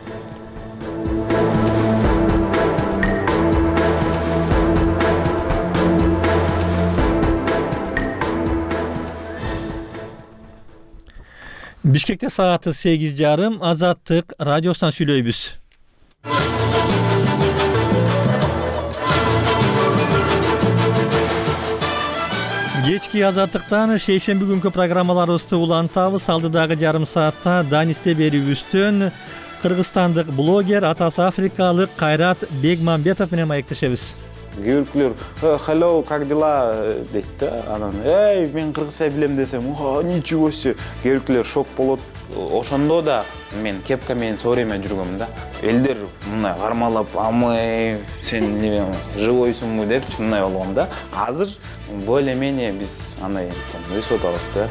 Бишкекте сааты 8:30. Азаттык радиосунан сүйлөйбүз. Кечки Азаттыктан шейшемби күnkү программаларыбызды улантабыз. Алдыдагы жарым саатта Данисте берүүбүздөн кыргызстандык блогер, атасы африкалык Кайрат Бегмамбетов менен маектешебиз. Кээ биркилер hello, как дела дейт да. Анан мен кыргызча билем десем, ничего себе. Кээ биркилер шок болот. Ошондо да мен кепка менен все время жүргөм да. Элдер мындай кармалап, амай сен живойсуңбу деп мындай болгон да. Азыр более-менее биз андай өсүп атабыз да.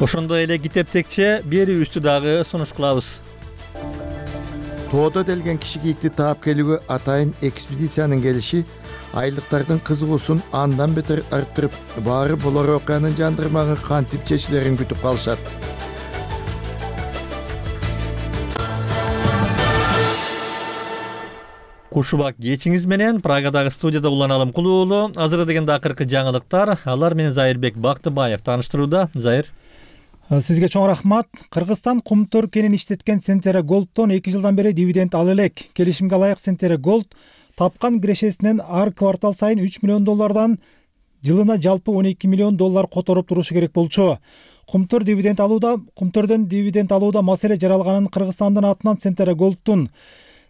Ошондой эле китептекче берүүбүздү дагы сунуш кылабыз. Тоодо делген киши кийикти таап келүүгө атайын экспедициянын келиши айлыктардын кызыгуусун андан бетер арттырып, баары болор окуянын жандырмагы кантип чечилерин күтүп калышат. Кушубак кечиңиз менен Прагадагы студияда Уланалым Кулуулу. Азыр дегенде акыркы жаңылыктар. Алар менен Зайырбек Бактыбаев тааныштырууда. Зайыр. Сизге чоң рахмат. Кыргызстан Кумтөр кенин иштеткен Центера Голдтон 2 жылдан бери дивиденд ала элек. Келишимге ылайык Центера Голд тапкан кирешесинен ар квартал сайын $3 миллион жылына жалпы $12 миллион которуп турушу керек болчу. Кумтөрдөн дивиденд алууда маселе жаралганын Кыргызстандын атынан Центера Голдтун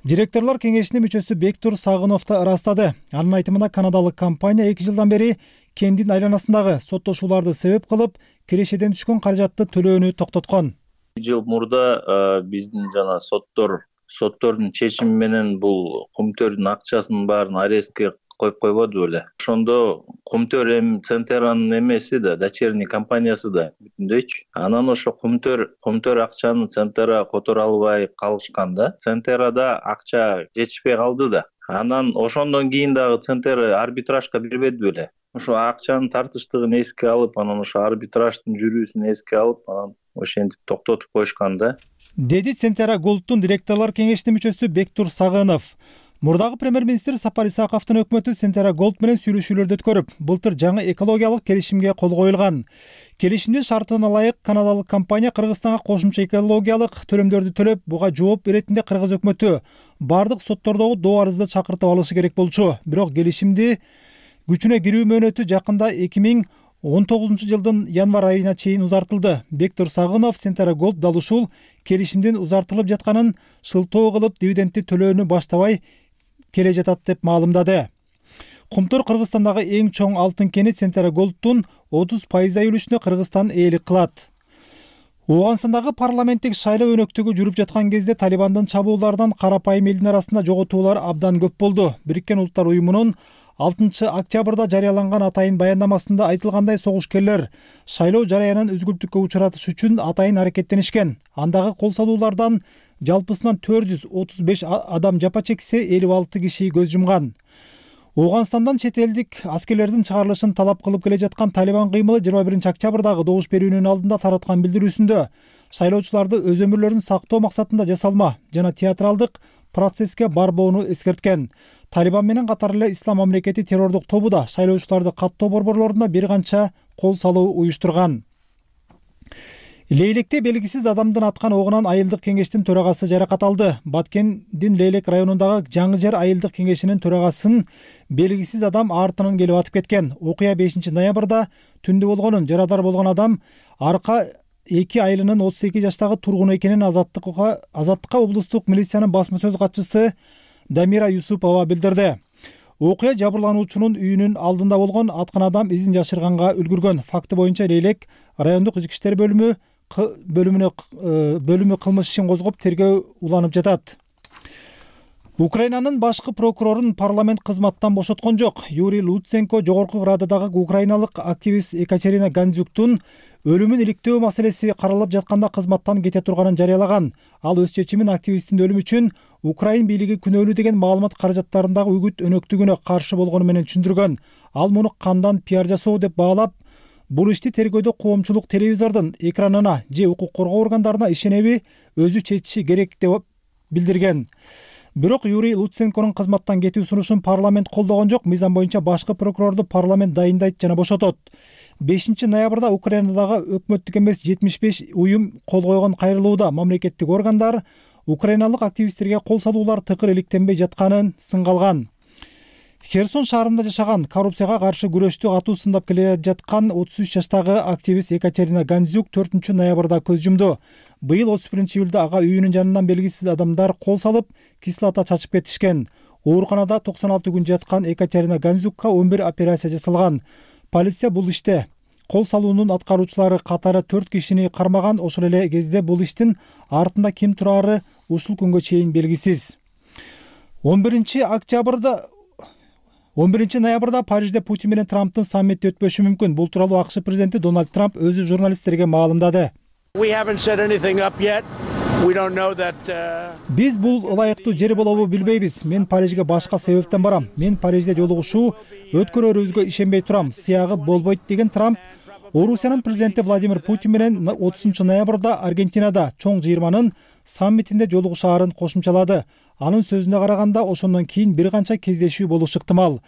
директорлор кеңешинин мүчөсү Бектур Сагынов да ырастады. Анын айтымына канадалык компания 2 жылдан бери кендин айланасындагы соттошууларды себеп кылып, кирешеден түшкөн каражатты төлөөнү токтоткон. Жыл мурда биздин жана соттордун чечими менен бул Кумтөрдүн акчасынын баарын арестке коюп койбоду беле. Ошондо Кумтөр Центеранын эмеси да, дочерний компаниясы да бүтүндөйчү. Анан ошо Кумтөр акчаны Центера которо албай калышканда, Центерада акча жетишпей калды да. Анан ошондон кийин дагы Центера арбитражга бербеди беле. Ошо акчанын тартыштыгын эске алып, анан ошо арбитраждын жүрүүсүн эске алып, анан ошентип токтотуп коюшкан да. Деди Центера Голдтун директорлор кеңешинин мүчөсү Бектур Сагынов. Мурдагы премьер-министр Сапар Исаковдун өкмөтү Центера Голд менен сүйлөшүүлөрдү өткөрүп, былтыр жаңы экологиялык келишимге кол коюлган. Келишимдин шартына ылайык канадалык компания Кыргызстанга кошумча экологиялык төлөмдөрдү төлөп, буга жооп беретинде кыргыз өкмөтү бардык соттордогу доо арызды чакыртып алышы керек болчу. Бирок келишимди күчүнө кирүү мөөнөтү жакында 2019 жылдын январь айына чейин узартылды. Бектур Сагынов Центера Голд дал ушул келишимдин узартылып жатканын шылтоо кылып, дивидендти төлөөнү баштабай келе жатат деп маалымдады. Кумтөр Кыргызстандагы эң чоң алтын кени Центера Голдтун 30% үлүшүнө Кыргызстан ээлик кылат. Ооганстандагы парламенттик шайлоо өнөктүгү жүрүп жаткан кезде Талибандын чабууларынан карапайым элдин арасында жоготуулар абдан көп болду. Бириккен Улуттар уюмунун 6 октябрда жарыяланган атайын баяндамасында айтылгандай, согушкерлер шайлоо жараянын үзгүлтүккө учуратыш үчүн атайын аракеттенишкен. Андагы кол салуулардан жалпысынан 435 адам жапа чексе, 56 киши көз жумган. Ооганстандан чет элдик аскерлердин чыгарылышын талап кылып келе жаткан Талибан кыймылы 21 октябрдагы добуш берүүнүн алдында тараткан билдирүүсүндө шайлоочуларды өз өмүрлөрүн сактоо максатында жасалма жана театралдык процесске барбоону эскерткен. Талибан менен катар эле Ислам мамлекети террордук тобу да шайлоочуларды каттоо борборлоруна бир канча кол салуу уюштурган. Лейлекте белгисиз адамдын аткан огунан айылдык кеңештин төрагасы жаракат алды. Баткендин Лейлек районундагы Жаңы жер айылдык кеңешинин төрагасын белгисиз адам артынан келип атып кеткен. Окуя 5 ноябрда түндө болгонун, жарадар болгон адам Арка 2 айылынын 32 жаштагы тургуну экенин Азаттыкка облустук милициянын басма сөз катчысы Дамира Юсупова билдирди. окуя жабырлануучунун үйүнүн алдында болгон аткан адам изин жашырганга үлгүргөн. Факты боюнча Лейлек райондук ички иштер бөлүмү кылмыш ишин козгоп тергөө уланып жатат. Украинанын башкы прокурорун парламент кызматтан бошоткон жок. Юрий Луценко жогорку Рададагы украиналык активист Екатерина Гандзюктун өлүмүн иликтөө маселеси каралып жатканда кызматтан кете турганын жарыялаган. Ал өз чечимин активисттин өлүмү үчүн Украин бийлиги күнөөлүү деген маалымат каражаттарындагы үгүт өнөктүгүнө каршы болгону менен түшүндүргөн. Ал муну кандан пиар жасоо деп баалап, бул ишти тергөөдө коомчулук телевизордун экранына же укук коргоо органдарына ишенеби өзү чечиши керек деп билдирген. Бирок Юрий Луценконун кызматтан кетүү сунушун парламент колдогон жок. Мыйзам боюнча башкы прокурорду парламент дайындайт жана бошотот. 5 ноябрда Украинадагы өкмөттүк эмес 75 уюм кол койгон кайрылууда мамлекеттик органдар украиналык активисттерге кол салуулар тыкыр иликтенбей жатканын сынга алган. Херсон шаарында жашаган, коррупцияга каршы күрөштү катуу сындап келе жаткан 33 жаштагы активист Екатерина Гандзюк 4 ноябрда көз жумду. Быйыл 31-июлда ага үйүнүн жанынан белгисиз адамдар кол салып, кислота чачып кетишкен. Ооруканада 96 күн жаткан Екатерина Гандзюкка 11 операция жасалган. Полиция бул иште кол салуунун аткаруучулары катары 4 кишини кармаган. Ошол эле кезде бул иштин артында ким турары ушул күнгө чейин белгисиз. 11 ноябрда Парижде Путин менен Трамптын саммити өтпөшү мүмкүн. Бул тууралуу АКШ президенти Дональд Трамп өзү журналисттерге маалымдады. Биз бул ылайыктуу жер болобу билбейбиз. Мен Парижге башка себептен барам. Мен Парижде жолугушуу өткөрөрүбүзгө ишенбей турам. Сыягы болбойт деген Трамп Орусиянын президенти Владимир Путин менен 30 ноябрда Аргентинада чоң жыйырманын саммитинде жолугушаарын кошумчалады. Анын сөзүнө караганда ошондон кийин бир канча кездешүү болушу ыктымал.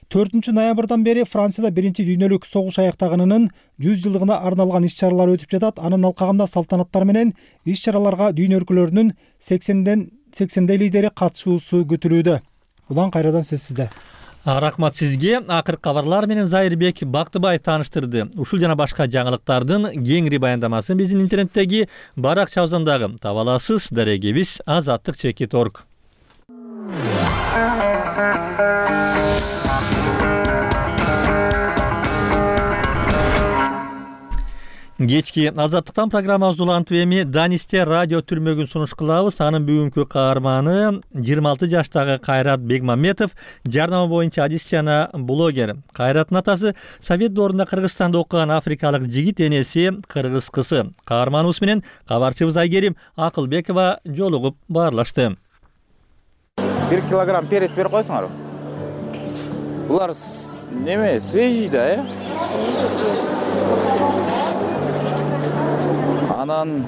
4 ноябрдан бери Францияда 1-дүйнөлүк согуш аяктаганынын 100 жылдыгына арналган иш-чаралар өтүп жатат. Анын алкагында салтанаттар менен иш-чараларга дүйнө өлкөлөрүнүн 80 лидери катышуусу күтүлүүдө. Улан кайрадан сөз сизде. Рахмат сизге. Акыркы кабарлар менен Зайырбек Бактыбаев тааныштырды. Ушул жана башка жаңылыктардын кеңири баяндамасын биздин интернеттеги баракчабыздагы таба аласыз. Дарегебиз azatlyk.org. Кечки Азаттыктан программабызды улантып эми Данисте радио түрмөгүн сунуш кылабыз. Анын бүгүнкү каарманы 26 жаштагы Кайрат Бегмамбетов, жарнама боюнча адис жана блогер. Кайраттын атасы Совет доорунда Кыргызстанда окуган африкалык жигит, энеси кыргыз кызы. Каарманыбыз менен кабарчыбыз Айгерим Акылбекова жолугуп баарлашты. 1 килограмм перец берип койсуңар. Булар неме, свежий да, Анан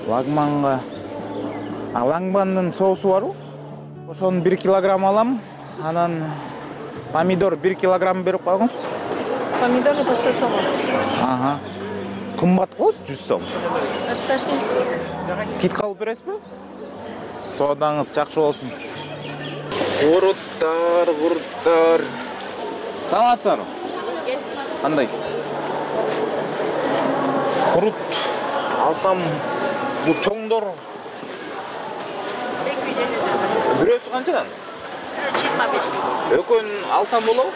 лагманга, лагмандын соусу барбы? Ошону 1 килограмм алам. Анан помидор 1 килограмм берип койгуңуз. Помидору по 100 сом. Ага. Кымбат го 100 сом. Ташкентский. Скидка алып бересизби? Содаңыз жакшы болсун. Куруттар. Салатсызбы? Кандайсыз? Курут алсам бул чоңдор. Бирөөсү канчадан? 25. Экөөнү алсам болобу?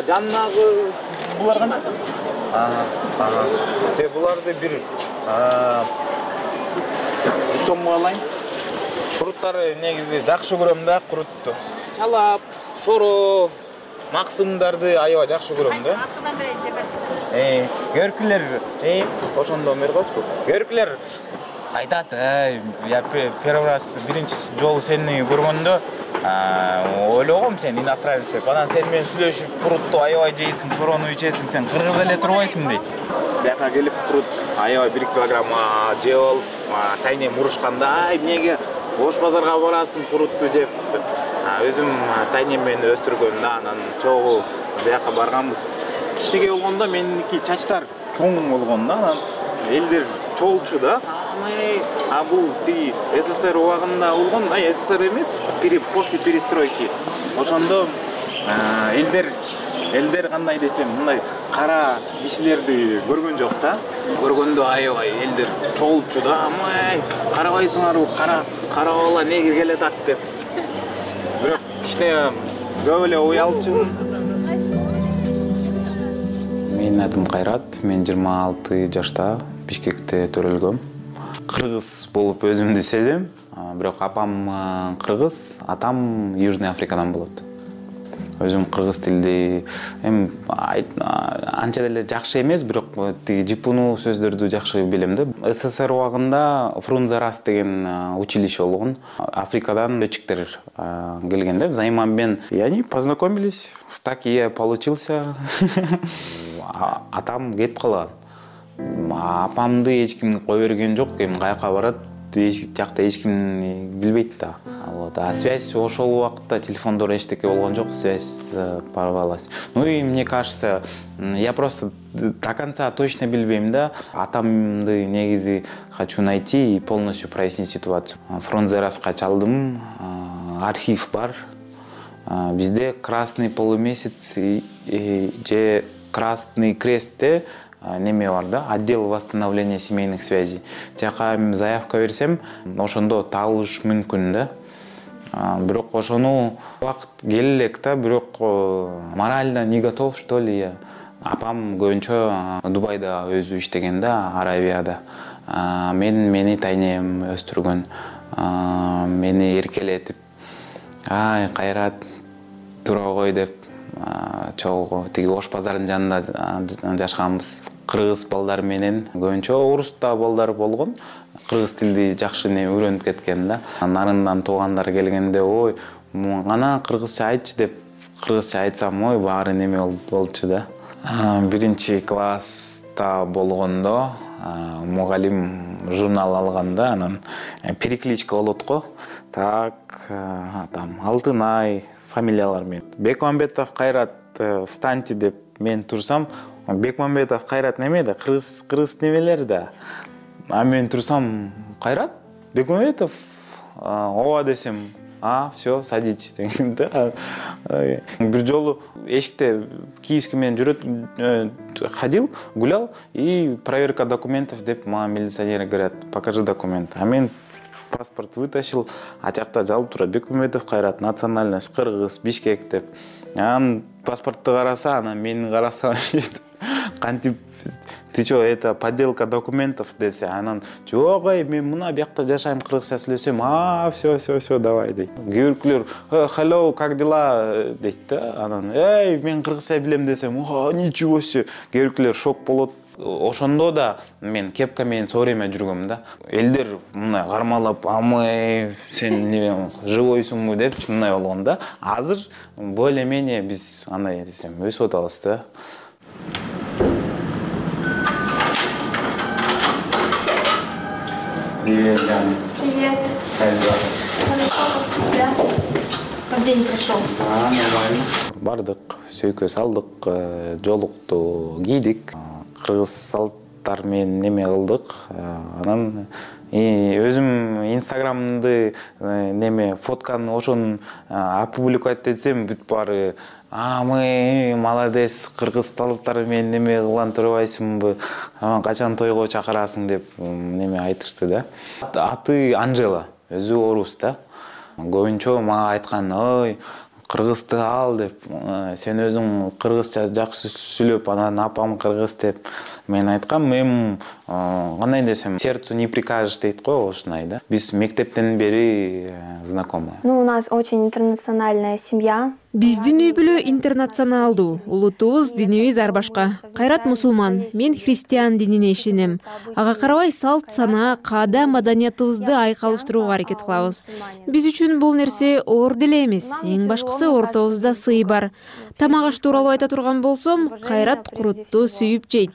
Жаннагы булар канча? Те буларды бир 100 сомго алайын. Куруттары негизи жакшы көрөм да, курутту. Чалап, шоро, максымдарды аябай жакшы көрөм да. Көркүлөр, ошондон бери койсузбу? Көркүлөр айтат, я первый раз биринчи жолу сени көргөндө ойлогом сен иностранец деп. Анан сен менен сүйлөшүп, курутту аябай жейсиң, шорону ичесиң, сен кыргыз эле турбайсың дейт. Бияка келип курут аябай 1 килограмм жеп алып, тайнем урушканда, эмнеге Ош базарга барасың курутту жеп. Өзүм тайнем менен өстүргөн да, анан чогуу бияка барганбыз. Кичинекей болгондо меники чачтар чоң болгон да, анан элдер чолчу да. Бул тиги СССР убагында болгон, СССР эмес, после перестройки. Ошондо элдер кандай десем, мындай кара кишилерди көргөн жок да. Көргөндө аябай элдер чолчу да. Карабайсыңарбы, кара бала негир келет деп. Бирок кечте көп эле уялчумун. Менин атым Кайрат, мен 26 жашта Бишкекте төрөлгөм. Кыргыз болуп өзүмдү сезем, бирок апам кыргыз, атам Южный Африкадан болот. Өзүм кыргыз тилди анча деле жакшы эмес, бирок тиги жипунуу сөздөрдү жакшы билем да. СССР убагында Фрунзе-Раст деген училище болгон. Африкадан летчиктер келген да. Взаимообмен. И они познакомились. Так и я получился. Атам кетип калган. Апамды эч ким кое берген жок, эми каяка барат, жакта эч ким билбейт да. Вот. А связь ошол убакытта телефондор эчтеке болгон жок, связь порвалась. Ну и мне кажется, я просто до конца точно билбейм да. Атамды негизи хочу найти и полностью прояснить ситуацию. Фрунзе-Растка чалдым, архив бар. Бизде Красный полумесяц же Красный крестте неме бар да, отдел восстановления семейных связей. Тияка заявка берсем, ошондо табылыш мүмкүн да. Бирок ошону убакыт келе элек да, бирок морально не готов, что ли я. Апам көбүнчө Дубайда өзү иштеген да, Аравияда. Мени тайнем өстүргөн, мени эркелетип, ай Кайрат тура кой деп, чогуу тиги Ош базарынын жанында жашаганбыз. Кыргыз балдар менен көбүнчө орусда балдар болгон. Кыргыз тилди жакшы үйрөнүп кеткен да. Нарындан туугандар келгенде, ой, ана кыргызча айтчы деп, кыргызча айтсам, ой, баары неме болчу да. Биринчи класста болгондо мугалим журнал алганда, анан перекличка болот го. Так, там Алтынай фамилиялар менен. Бекмамбетов Кайрат, встаньте деп мен турсам, Бекмамбетов Кайрат неме да, кыргыз немелер да. А мен турсам, Кайрат, Бекмамбетов, ооба десем, все, садитесь деген да. Бир жолу эшикте Киевский менен ходил, гулял, и проверка документов деп мага милиционер говорят, покажи документ. А мен паспорт вытащил, а жакта жалып турат, Бекмамбетов Кайрат, национальность кыргыз, Бишкек деп. Анан паспортты караса, анан мени караса, кантип, ты чё, это подделка документов десе, анан жок, мен мына бuyakta жашайм, кыргызча сүйлөсөм, все, давай дейт. Кээ биркилер, hello, как дела дейт да, анан, мен кыргызча билем десем, ничего себе, кээ биркилер шок болот. Ошондо да мен кепка менен все время жүргөм да. Элдер мындай кармалап, амай, сен живойсуңбу деп мындай болгон да. Азыр более-менее биз андай десем өсүп атабыз да. Привет, Яна. Привет. Как дела? Хорошо, да? Как день прошел? Нормально. Бардык, сөйкө салдык, жолукту кийдик. Кыргыз салттар менен неме кылдык. Анан өзүм инстаграмды неме фотканы ошон опубликовать этсем, бүт баары мы молодец, кыргыз салттары менен неме кылган турбайсыңбы, качан тойго чакырасың деп неме айтышты да. Аты Анжела, өзү орус да. Көбүнчө мага айткан, ой, кыргызды ал деп, сен өзүң кыргызча жакшы сүйлөп, анан апам кыргыз деп мен айткам, мен кандай десем, сердцу не прикажешь дейт го, ушундай да. Биз мектептен бери знакомы. Ну, у нас очень интернациональная семья. Биздин үй бүлө интернационалдуу, улутубуз, динибиз ар башка. Кайрат мусулман, мен христиан динине ишенем. Ага карабай салт, санаа, каада, маданиятыбызды айкалыштырууга аракет кылабыз. Биз үчүн бул нерсе оор деле эмес. Эң башкысы ортобузда сый бар. Тамак аш тууралуу айта турган болсом, Кайрат курутту сүйүп жейт.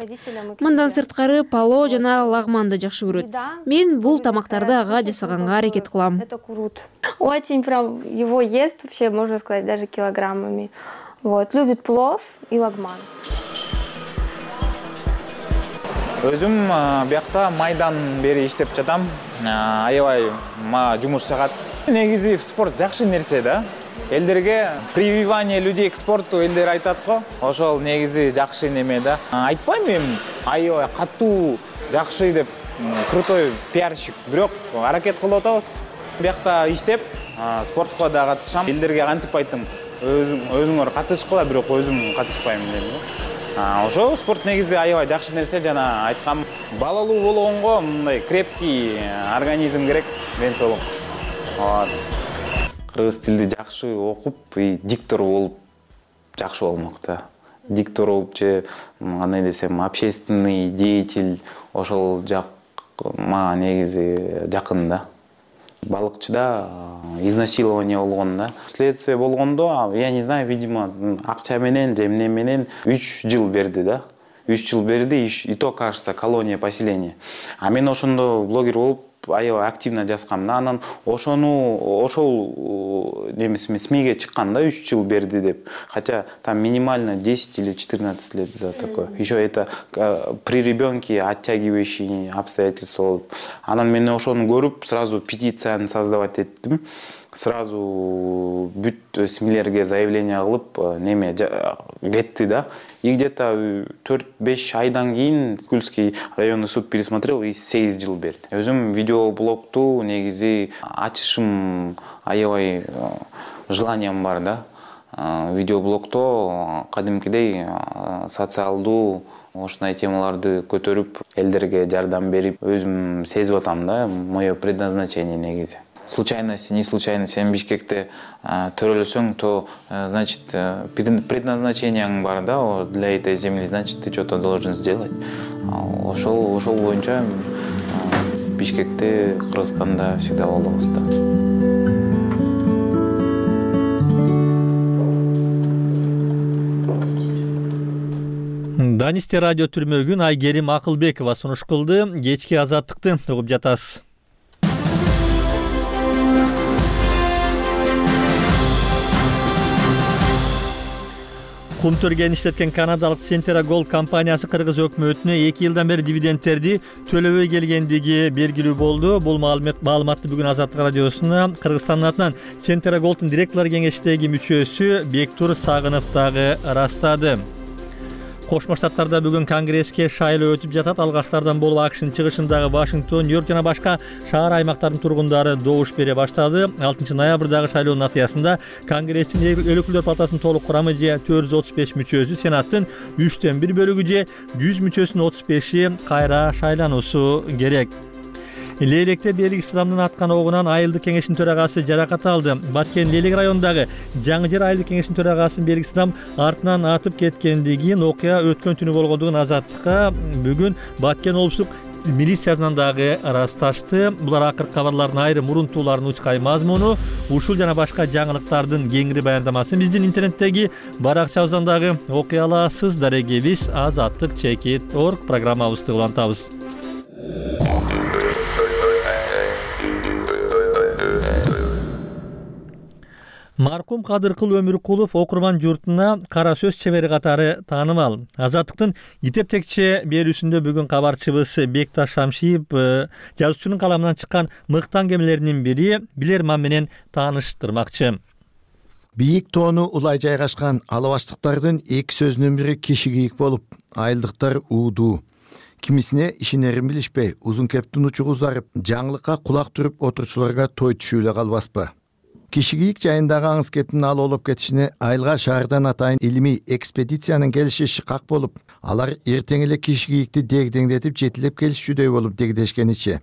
Мындан сырткары пало жана лагманды жакшы көрөт. Мен бул тамактарды ага жасаганга аракет кылам. Очень прям его ест, вообще, можно сказать, даже килограммами. Вот, любит плов и лагман. Өзүм бuyakta майдан бери иштеп жатам. Аябай жумуш жагат. Негизи спорт жакшы нерсе да. Элдерге прививание людей к спорту элдер айтат го. Ошол негизи жакшы неме да. Айтпайм мен аябай катуу жакшы деп крутой пиарщик, бирок аракет кылып атабыз. Биякта иштеп, спортко да катышам. Элдерге кантип айттым, өзүңөр катышкыла, бирок өзүм катышпайм дедим. Ошо спорт негизи аябай жакшы нерсе, жана айткам, балалуу болгонго мындай крепкий организм керек, ден соолук. Кыргыз тилди жакшы окуп, диктор болуп жакшы болмок да. Диктор болуп же кандай десем, общественный деятель, ошол жак мага негизи жакын да. Балыкчыда изнасилование болгон да. Следствие болгондо, я не знаю, видимо, акча менен же эмне менен 3 жыл берди да. 3 жыл берди, и то, кажется, колония поселения. А мен ошондо блогер болуп аябай активно жазгам да. Анан ошол немесиме СМИге чыкканда 3 жыл берди деп. Хотя там минимально 10 или 14 лет за такое. Еще это при ребенке оттягивающие обстоятельства. Анан мен ошону көрүп, сразу петицияны создавать эттим. Сразу бүт СМИлерге заявление кылып, неме кетти да. И где-то 4-5 айдан кийин Кульский районный суд пересмотрел и 8 жыл берди. Өзүм видеоблогту негизи ачышым аябай желанием бар да. Видеоблогто кадимкидей социалдуу ушундай темаларды көтөрүп, элдерге жардам берип, өзүм сезип атам да, мое предназначение негизи. Случайность, не случайность. Сен Бишкекте төрөлсөң, то, значит, предназначениең бар да, для этой земли, значит, ты что-то должен сделать. Ошол боюнча Бишкекте, Кыргызстанда всегда болобуз да. Данисте радио түрмөгүн Айгерим Акылбекова сунуш кылды. Кечки азаттыкты угуп жатасыз. Кумтөргөн иштеткен канадалык Centera Gold компаниясы кыргыз өкмөтүнө 2 жылдан бери дивидендтерди төлөбөй келгендиги белгилүү болду. Бул маалыматты бүгүн Азаттык радиосуна Кыргызстандын атынан Centera Gold'ун директорлор кеңешидеги мүчөсү Бектур Сагынов дагы ырастады. Кошмо Штаттарда бүгүн конгресске шайлоо өтүп жатат. Алгачтардан болуп АКШнын чыгышындагы Вашингтон, Нью-Йорк жана башка шаар аймактардын тургундары добуш бере баштады. 6 ноябрдагы шайлоонун натыйжасында Конгресстин эл өкүлдөр палатасынын толук курамы же 435 мүчөсү, Сенаттын 3/1 бөлүгү же 100 мүчөсүнүн 35-и кайра шайлануусу керек. Лейлекте белгисиз адамдын аткан огунан айылдык кеңештин төрагасы жаракат алды. Баткен Лейлек районундагы Жаңы Жер айылдык кеңештин төрагасынын белгисиз адам артынан атып кеткендигин, окуя өткөн түнү болгондугун Азаттыкка бүгүн Баткен облустук милициясынан дагы ырасташты. Булар акыркы кабарлардын айрым мурунтууларынын учкай мазмуну, ушул жана башка жаңылыктардын кеңири баяндамасын биздин интернеттеги баракчабыздан дагы окуй аласыз. Дарегебиз azattik.org программабызды улантабыз. Маркум Кадыркул Өмүркулов окурман журтуна кара сөз чебери катары таанымал. Азаттыктын итеп-текче берүүсүндө бүгүн кабарчыбыз Бекташ Шамшиев жазуучунун каламынан чыккан мыкты аңгемелеринин бири билерман менен тааныштырмакчы. Бийик тоону улай жайгашкан алабаштыктардын эки сөзүнүн бири кишигийик болуп, айылдыктар уудуу. Кимисине ишенерин билишпей, узун кептин учугу узарып, жаңылыкка кулак түрүп отурчуларга той түшүүлө калбаспы. Кишигийик жайындагы аңыз кептин ал олуп кетишине айылга шаардан атайын илимий экспедициянын келиши шыкак болуп, алар эртең эле кишигийикти дегдеңдетип жетилеп келишчүдөй болуп дегдешкеничи.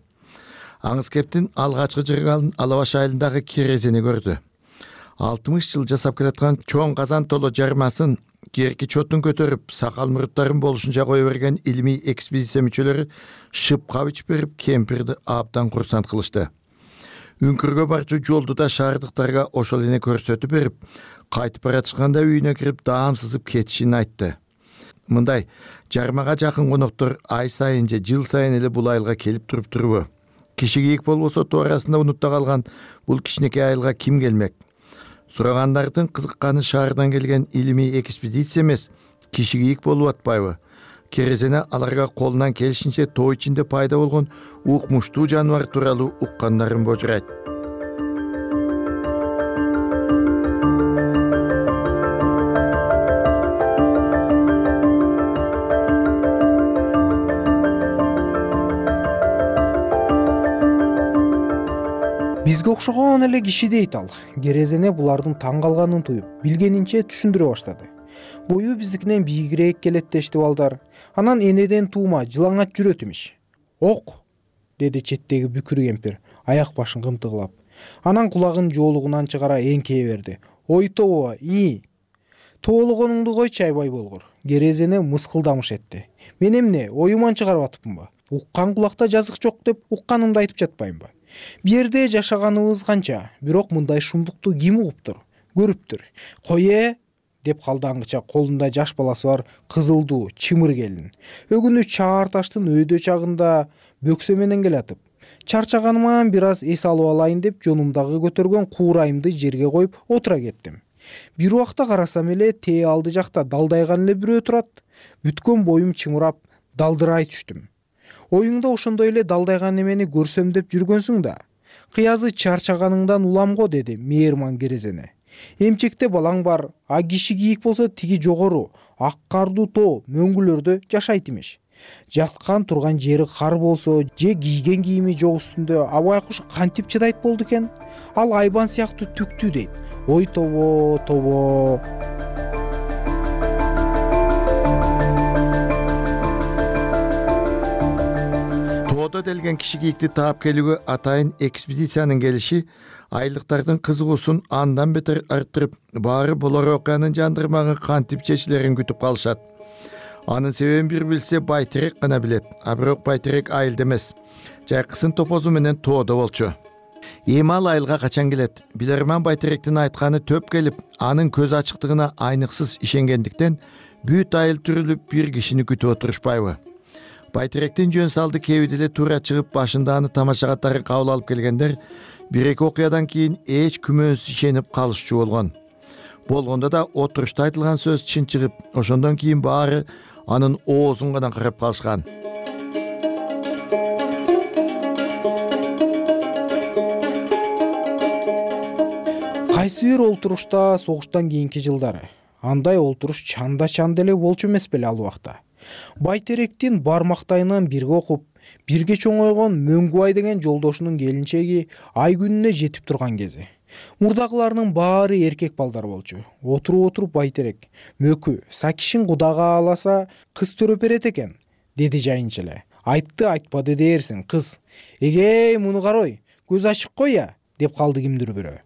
Аңыз кептин алгачкы жыргалын Алабаш айылындагы керезени көрдү. 60 жыл жасап келаткан чоң казан толо жармасын керки чотун көтөрүп, сакал муруттарын болушунча кое берген илимий экспедиция мүчөлөрү шып кабыч берип кемпирди абдан курсант кылышты. Үңкүргө барчу жолду да шаардыктарга ошол эне көрсөтүп берип, кайтып баратышканда үйүнө кирип даам сызып кетишин айтты. Мындай жармага жакын коноктор ай сайын же жыл сайын эле бул айылга келип турбу. Кишигийик болбосо тоо арасында унутта калган бул кичинекей айылга ким келмек? Сурагандардын кызыкканы шаардан келген илимий экспедиция эмес, кишигийик болуп атпайбы? Керезене аларга колунан келишинче тоо ичинде пайда болгон укмуштуу жаныбар тууралуу уккандарын божурайт. Бизге окшогон эле киши дейт ал. Керезене булардын таң калганын туюп, билгенинче түшүндүрө баштады. Бою биздикинен бийигирээк келет дешти балдар. Анан энеден туума жылаңат жүрөт имиш. Ок, деди четтеги бүкүр кемпир, аяк башын кымтыгылап. Анан кулагын жоолугунан чыгара эңкее берди. Ой тобо, тоологонуңду койчу айбай болгур. Керезене мыскылдамыш этти. Мен эмне, оюман чыгарып атыпмынбы? Уккан кулакта жазык жок деп укканымды айтып жатпаймынбы? Бу жерде жашаганыбыз канча, бирок мындай шумдукту ким угуптур, көрүптүр? Кое, деп калды аңгыча колунда жаш баласы бар кызылдуу чымыр келин. Өгүнү чаар таштын өйдө чагында бөксө менен келатып. Чарчаганыман бир аз эс алып алайын деп жонумдагы көтөргөн куурайымды жерге коюп отура кеттим. Бир убакта карасам эле тээ алды жакта далдайган эле бирөө турат. Бүткөн боюм чымырап, далдырай түштүм. Оюңда ошондой эле далдайган эмени көрсөм деп жүргөнсүң да. Кыязы чарчаганыңдан улам го, деди мээрман Керезене. Эмчекте балаң бар, а киши кийик болсо тиги жогору, ак кардуу тоо мөңгүлөрдө жашайт имиш. Жаткан турган жери кар болсо, же кийген кийими жок үстүндө абайкуш кантип чыдайт болду экен? Ал айбан сыяктуу түктүү дейт. Ой тобо. Тоодо делген киши кийикти таап келүүгө атайын экспедициянын келиши айлыктардын кызыгуусун андан бетер арттырып, баары болор окуянын жандырмагы кантип чечилерин күтүп калышат. Анын себебин бир билсе Байтерек гана билет, а бирок Байтерек айылда эмес, жайкысын топозу менен тоодо болчу. Эми ал айылга качан келет? Билерман Байтеректин айтканы төп келип, анын көз ачыктыгына айныксыз ишенгендиктен бүт айыл түрүлүп бир кишини күтүп отурушпайбы? Байтеректин жөн салды кеби деле туура чыгып башында аны тамашага тары кабыл алып келгендер бир-эки окуядан кийин эч күмөнсүз ишенип калышчу болгон. Болгондо да отурушта айтылган сөз чын чыгып, ошондон кийин баары анын оозун гана карап калышкан. Кайсы бир олтурушта согуштан кийинки жылдары андай олтуруш чанда эле болчу эмес беле ал убакта. Байтеректин бармактайынан бирге окуп, бирге чоңойгон Мөңгүбай деген жолдошунун келинчеги ай күнүнө жетип турган кези. Мурдагылардын баары эркек балдар болчу. Отуруп Байтерек, мөкү, сакишин кудага аласа кыз төрөп берет экен, деди жайынча эле. Айтты айтпады дээрсиң, кыз. Эгей, муну карой, көз ачык кой я, деп калды кимдир бирөө.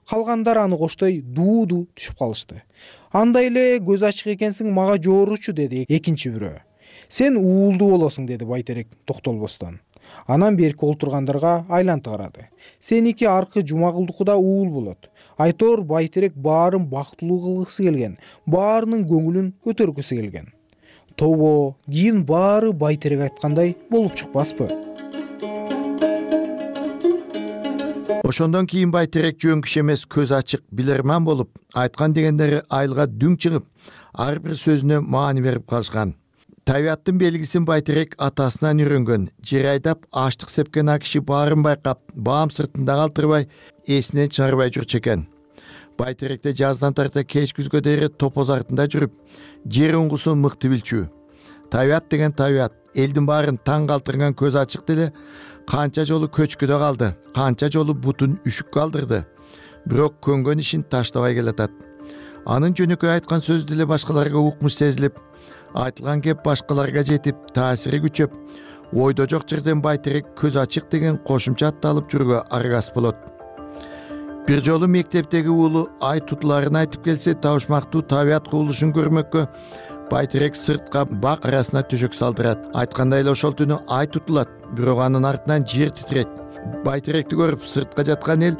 Калгандар аны коштой дуу түшүп калышты. Андай эле көз ачык экенсиң, мага жооручу, деди экинчи бирөө. Сен уулду болосуң, деди Байтерек токтолбостон. Анан берки олтургандарга айланты карады. Сеники аркы Жумагулдукуда уул болот. Айтор Байтерек баарын бактылуу кылгысы келген, баарынын көңүлүн көтөргүсү келген. Тобо, кийин баары Байтерек айткандай болуп чыкпаспы? Ошондон кийин Байтерек жөн киши эмес, көз ачык, билерман болуп, айткан дегендери айылга дүң чыгып, ар бир сөзүнө маани берип калышкан. Табияттын белгисин Байтерек атасынан үйрөнгөн. Жер айдап, аштык сепкен а киши баарын байкап, баам сыртында калтырбай, эсинен чыгарбай жүрчү экен. Байтеректе жаздан тарта кеч күзгө дейре топоз артында жүрүп, жер уңгусун мыкты билчү. Табият деген табият, элдин баарын таң калтырган көз ачык деле канча жолу көчкүдө калды, канча жолу бутун үшүк калдырды. Бирок көнгөн ишин таштабай келатат. Анын жөнөкөй айткан сөзү деле башкаларга укмуш сезилип, айтылган кеп башкаларга жетип, таасири күчөп, ойдо жок жерден Байтерек көз ачык деген кошумча атты алып жүрүүгө аргас болот. Бир жолу мектептеги уулу ай тутуларын айтып келсе, табышмактуу табият кубулушун көрмөккө Байтерек сыртка бак арасына төшөк салдырат. Айткандай эле ошол түнү ай тутулат, бирок анын артынан жер титрейт. Байтеректи көрүп сыртка жаткан эл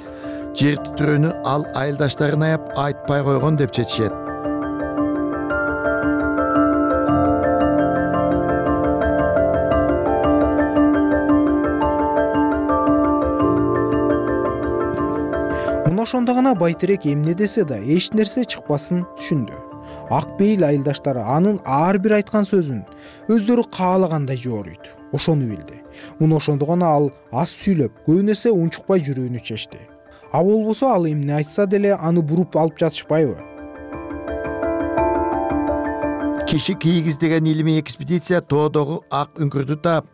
жер титрөөнү ал айылдаштарын аяп айтпай койгон деп чечишет. Муну ошондо гана Байтерек эмне десе да эч нерсе чыкпасын түшүндү. Ак бейил айылдаштары анын ар бир айткан сөзүн өздөрү каалагандай жооруйт. Ошону билди. Муну ошондо гана ал аз сүйлөп, көп нерсе унчукпай жүрүүнү чечти. А болбосо ал эмне айтса деле аны буруп алып жатышпайбы? Киши кийик издеген илимий экспедиция тоодогу ак үңкүрдү таап,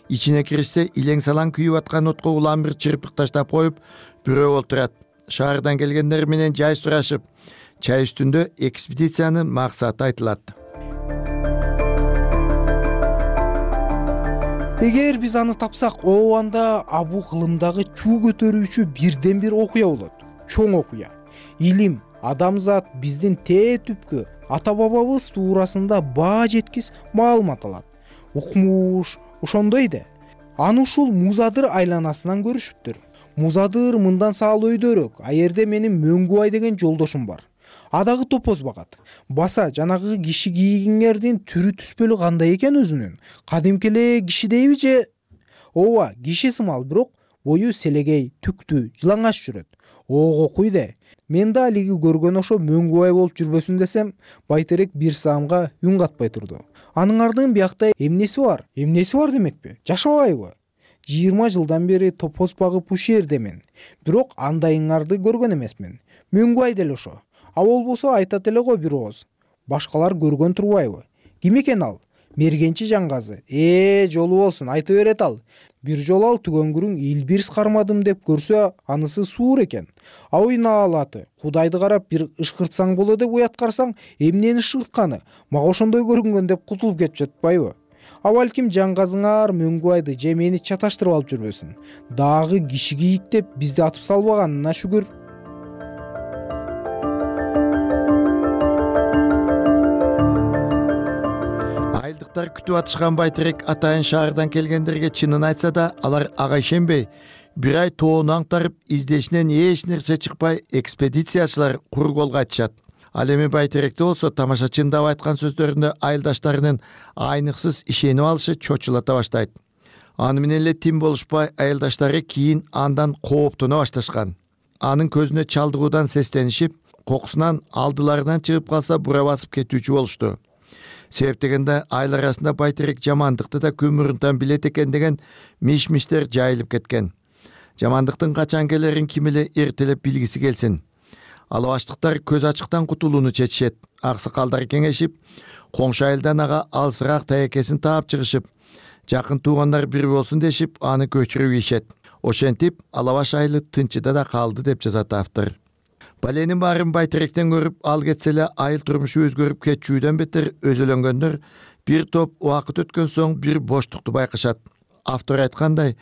ичине киришсе илең салаң күйүп аткан отко улам бир чырпык таштап коюп, бирөө отурат. Шаардан келгендер менен жай сурашып, чай үстүндө экспедициянын максаты айтылат. Эгер биз аны тапсак, анда бул кылымдагы чуу көтөрүүчү бирден бир окуя болот. Чоң окуя. Илим, адамзат, биздин тээ түпкү ата бабабыз туурасында баа жеткис маалымат алат. Укмуш, ошондой да. Аны ушул Музадыр айланасынан көрүшүптүр. Музадыр мындан саал өйдөрөөк, аерде менин Мөңгүбай деген жолдошум бар. Адагы топоз багат. Баса жанагы киши кийгиңердин түрү түспөлү кандай экен өзүнүн? Кадимки эле кишидейби же? Ооба, киши сымал, бирок бою селегей, түктүү, жылаңач жүрөт. Ого куйда. Мен да алиги көргөн ошо Мөңгүбай болуп жүрбөсүн десем, байтерек бир саамга үн катпай турду. Анын ардын биякта эмнеси бар? Эмнеси бар демекпи? Жашабайбы? 20 жылдан бери топоз багып ушу жерде мен. Бирок андайыңарды көргөн эмесмин. Мөңгүбай деле ошо. Болбосо айтат эле го бир ооз. Башкалар көргөн турбайбы? Ким экен ал? Мергенчи Жаңгазы. Жолу болсун, айта берет ал. Бир жолу ал түгөнгүрүң илбирс кармадым деп көрсө, анысы суур экен. Наалаты. Кудайды карап бир ышкыртсаң боло деп уяткарсаң, эмнени ышкыртканы? Мага ошондой көрүнгөн деп кутулуп кетип жатпайбы? Балким Жаңгазыңар Мөңгүбайды же мени чаташтырып алып жүрбөсүн. Дагы киши кийик деп бизди атып салбаганына шүгүр. Айылдыктар күтүп атышкан байтерек атайын шаардан келгендерге чынын айтса да, алар ага ишенбей, бир ай тоону аңтарып, издешинен эч нерсе чыкпай, экспедициячылар кур колго айтышат. Ал эми байтеректе болсо тамаша чындап айткан сөздөрүндө айылдаштарынын айныксыз ишенип алышы чочулата баштайт. Аны менен эле тим болушпай, айылдаштары кийин андан кооптоно башташкан. Анын көзүнө чалдыгуудан сестенишип, кокусунан алдыларынан чыгып калса бура басып кетүүчү болушту. Себеп дегенде айыл арасында байтерек жамандыкты да көмүрүнтан билет экен деген миш-миштер жайылып кеткен. Жамандыктын качан келерин ким эле эртелеп билгиси келсин. Алабаштыктар көз ачыктан кутулууну чечишет. Аксакалдар кеңешип, коңшу айылдан ага алсыраак таекесин таап чыгышып, жакын туугандар бир болсун дешип, аны көчүрүп ийишет. Ошентип, Алабаш айылы тынчыда да калды деп жазат автор. Баленин баарын байтеректен көрүп, ал кетсе эле айыл турмушу өзгөрүп кетчүүдөн бетер өзөлөнгөндөр бир топ убакыт өткөн соң бир боштукту байкашат. Автор айткандай,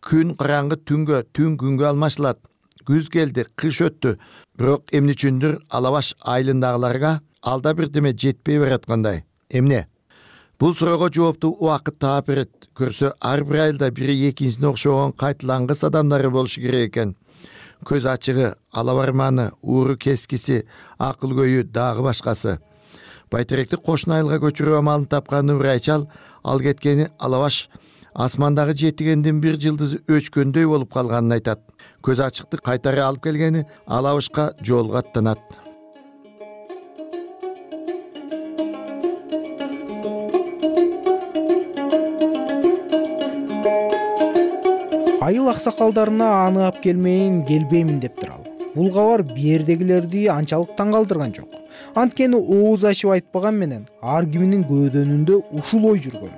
күн караңгы түнгө, түн күнгө алмашылат. Күз келди, кыш өттү. Бирок эмне үчүндүр Алабаш айылындагыларга алда бирдеме жетпей бараткандай. Эмне? Бул суроого жоопту убакыт таап берет. Көрсө, ар бир айылда бири экинчисине окшогон кайтылангыс адамдары болушу керек экен. Көз ачыгы, алабарманы, ууру кескиси, акыл көйү, дагы башкасы. Байтеректи кошуна айылга көчүрүү амалын тапкан Нурайчал, ал кеткени Алабаш асмандагы жетигендин бир жылдызы өчкөндөй болуп калганын айтат. Көз ачыкты кайтара алып келгени Алабашка жолго аттанат. Айыл аксакалдарына аны ап келбеймин дептир ал. Бул кабар биердегилерди анчалык таң калтырган жок. Анткени ооз ачып айтпаган менен ар киминин көөдөнүндө ушул ой жүргөн.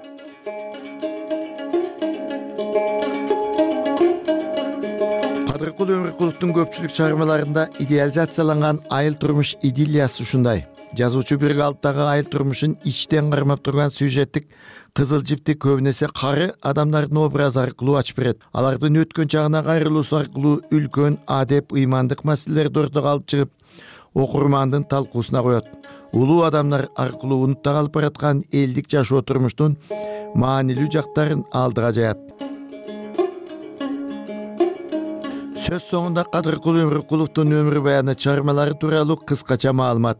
Кадыркул Өмүркуловдун көпчүлүк чыгармаларында идеализацияланган айыл турмуш идиллиясы ушундай. Жазуучу бир калыптагы айыл турмушун ичтен кармап турган сюжеттик кызыл жипти көбүнесе кары адамдардын образы аркылуу ачып берет. Алардын өткөн чагына кайрылуусу аркылуу үлкөн адеп, ыймандык маселелерди ортого алып чыгып, окурмандын талкуусуна коет. Улуу адамдар аркылуу унутта калып бараткан элдик жашоо турмуштун маанилүү жактарын алдыга жаят. Сөз соңунда Кадыркул Өмүркуловдун өмүр баяны чыгармалары тууралуу кыскача маалымат.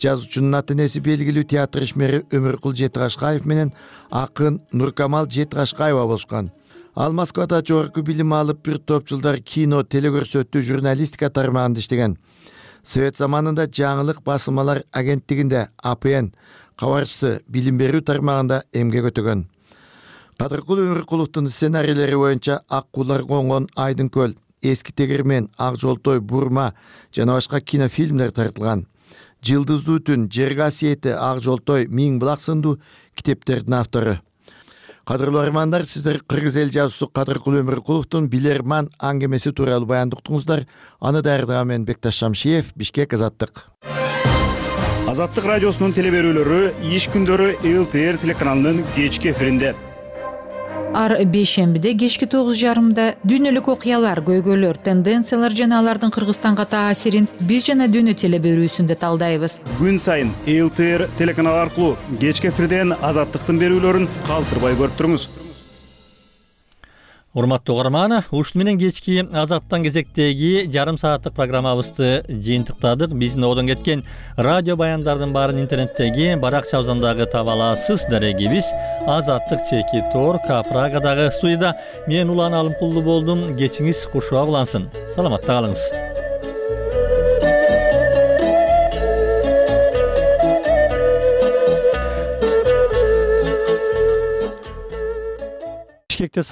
Жазуучунун ата энеси белгилүү театр ишмери Өмүркул Жетигашкаев менен акын Нуркамал Жетигашкаева болушкан. Ал Москвада жогорку билим алып, бир топ жылдар кино, телекөрсөтүү, журналистика тармагында иштеген. Совет заманында жаңылык басылмалар агенттигинде АПН кабарчысы билим берүү тармагында эмгек өтөгөн. Кадыркул Өмүркуловдун сценарийлери боюнча Ак куулар конгон Айдын көл, Эски тегирмен, Ак жолтой, Бурма жана башка кинофильмдер тартылган. Жылдыздуу түн, Жер касиети, Ак жолтой, Миң булак сындуу китептердин автору. Кадырлуу армандар, сиздер кыргыз эл жазуусу Кадыркул Өмүркуловдун Билерман аңгемеси тууралуу баяндыктыңыздар. Аны даярдаган мен Бекташ Шамшиев, Бишкек, Азаттык. Азаттык радиосунун телеберүүлөрү иш күндөрү ЛТР телеканалынын кечки эфиринде. Ар бейшембиде кечки 9:30 дүйнөлүк окуялар, көйгөйлөр, тенденциялар жана алардын Кыргызстанга таасирин биз жана дүйнө телеберүүсүндө талдайбыз. Күн сайын ЛТР телеканалы аркылуу кечки эфирден Азаттыктын берүүлөрүн калтырбай көрүп туруңуз. Урматтуу угарман, ушуну менен кечки Азаттан кезектеги жарым сааттык программабызды жыйынтыктадык. Биздин одон кеткен радио баяндардын баарын интернеттеги баракчабыздан таба аласыз. Дарегибиз Азаттык чеки тор Прагадагы студияда мен Улан Алымкулду болдум. Кечиңиз кушуа улансын. Саламатта калыңыз. Бишкекте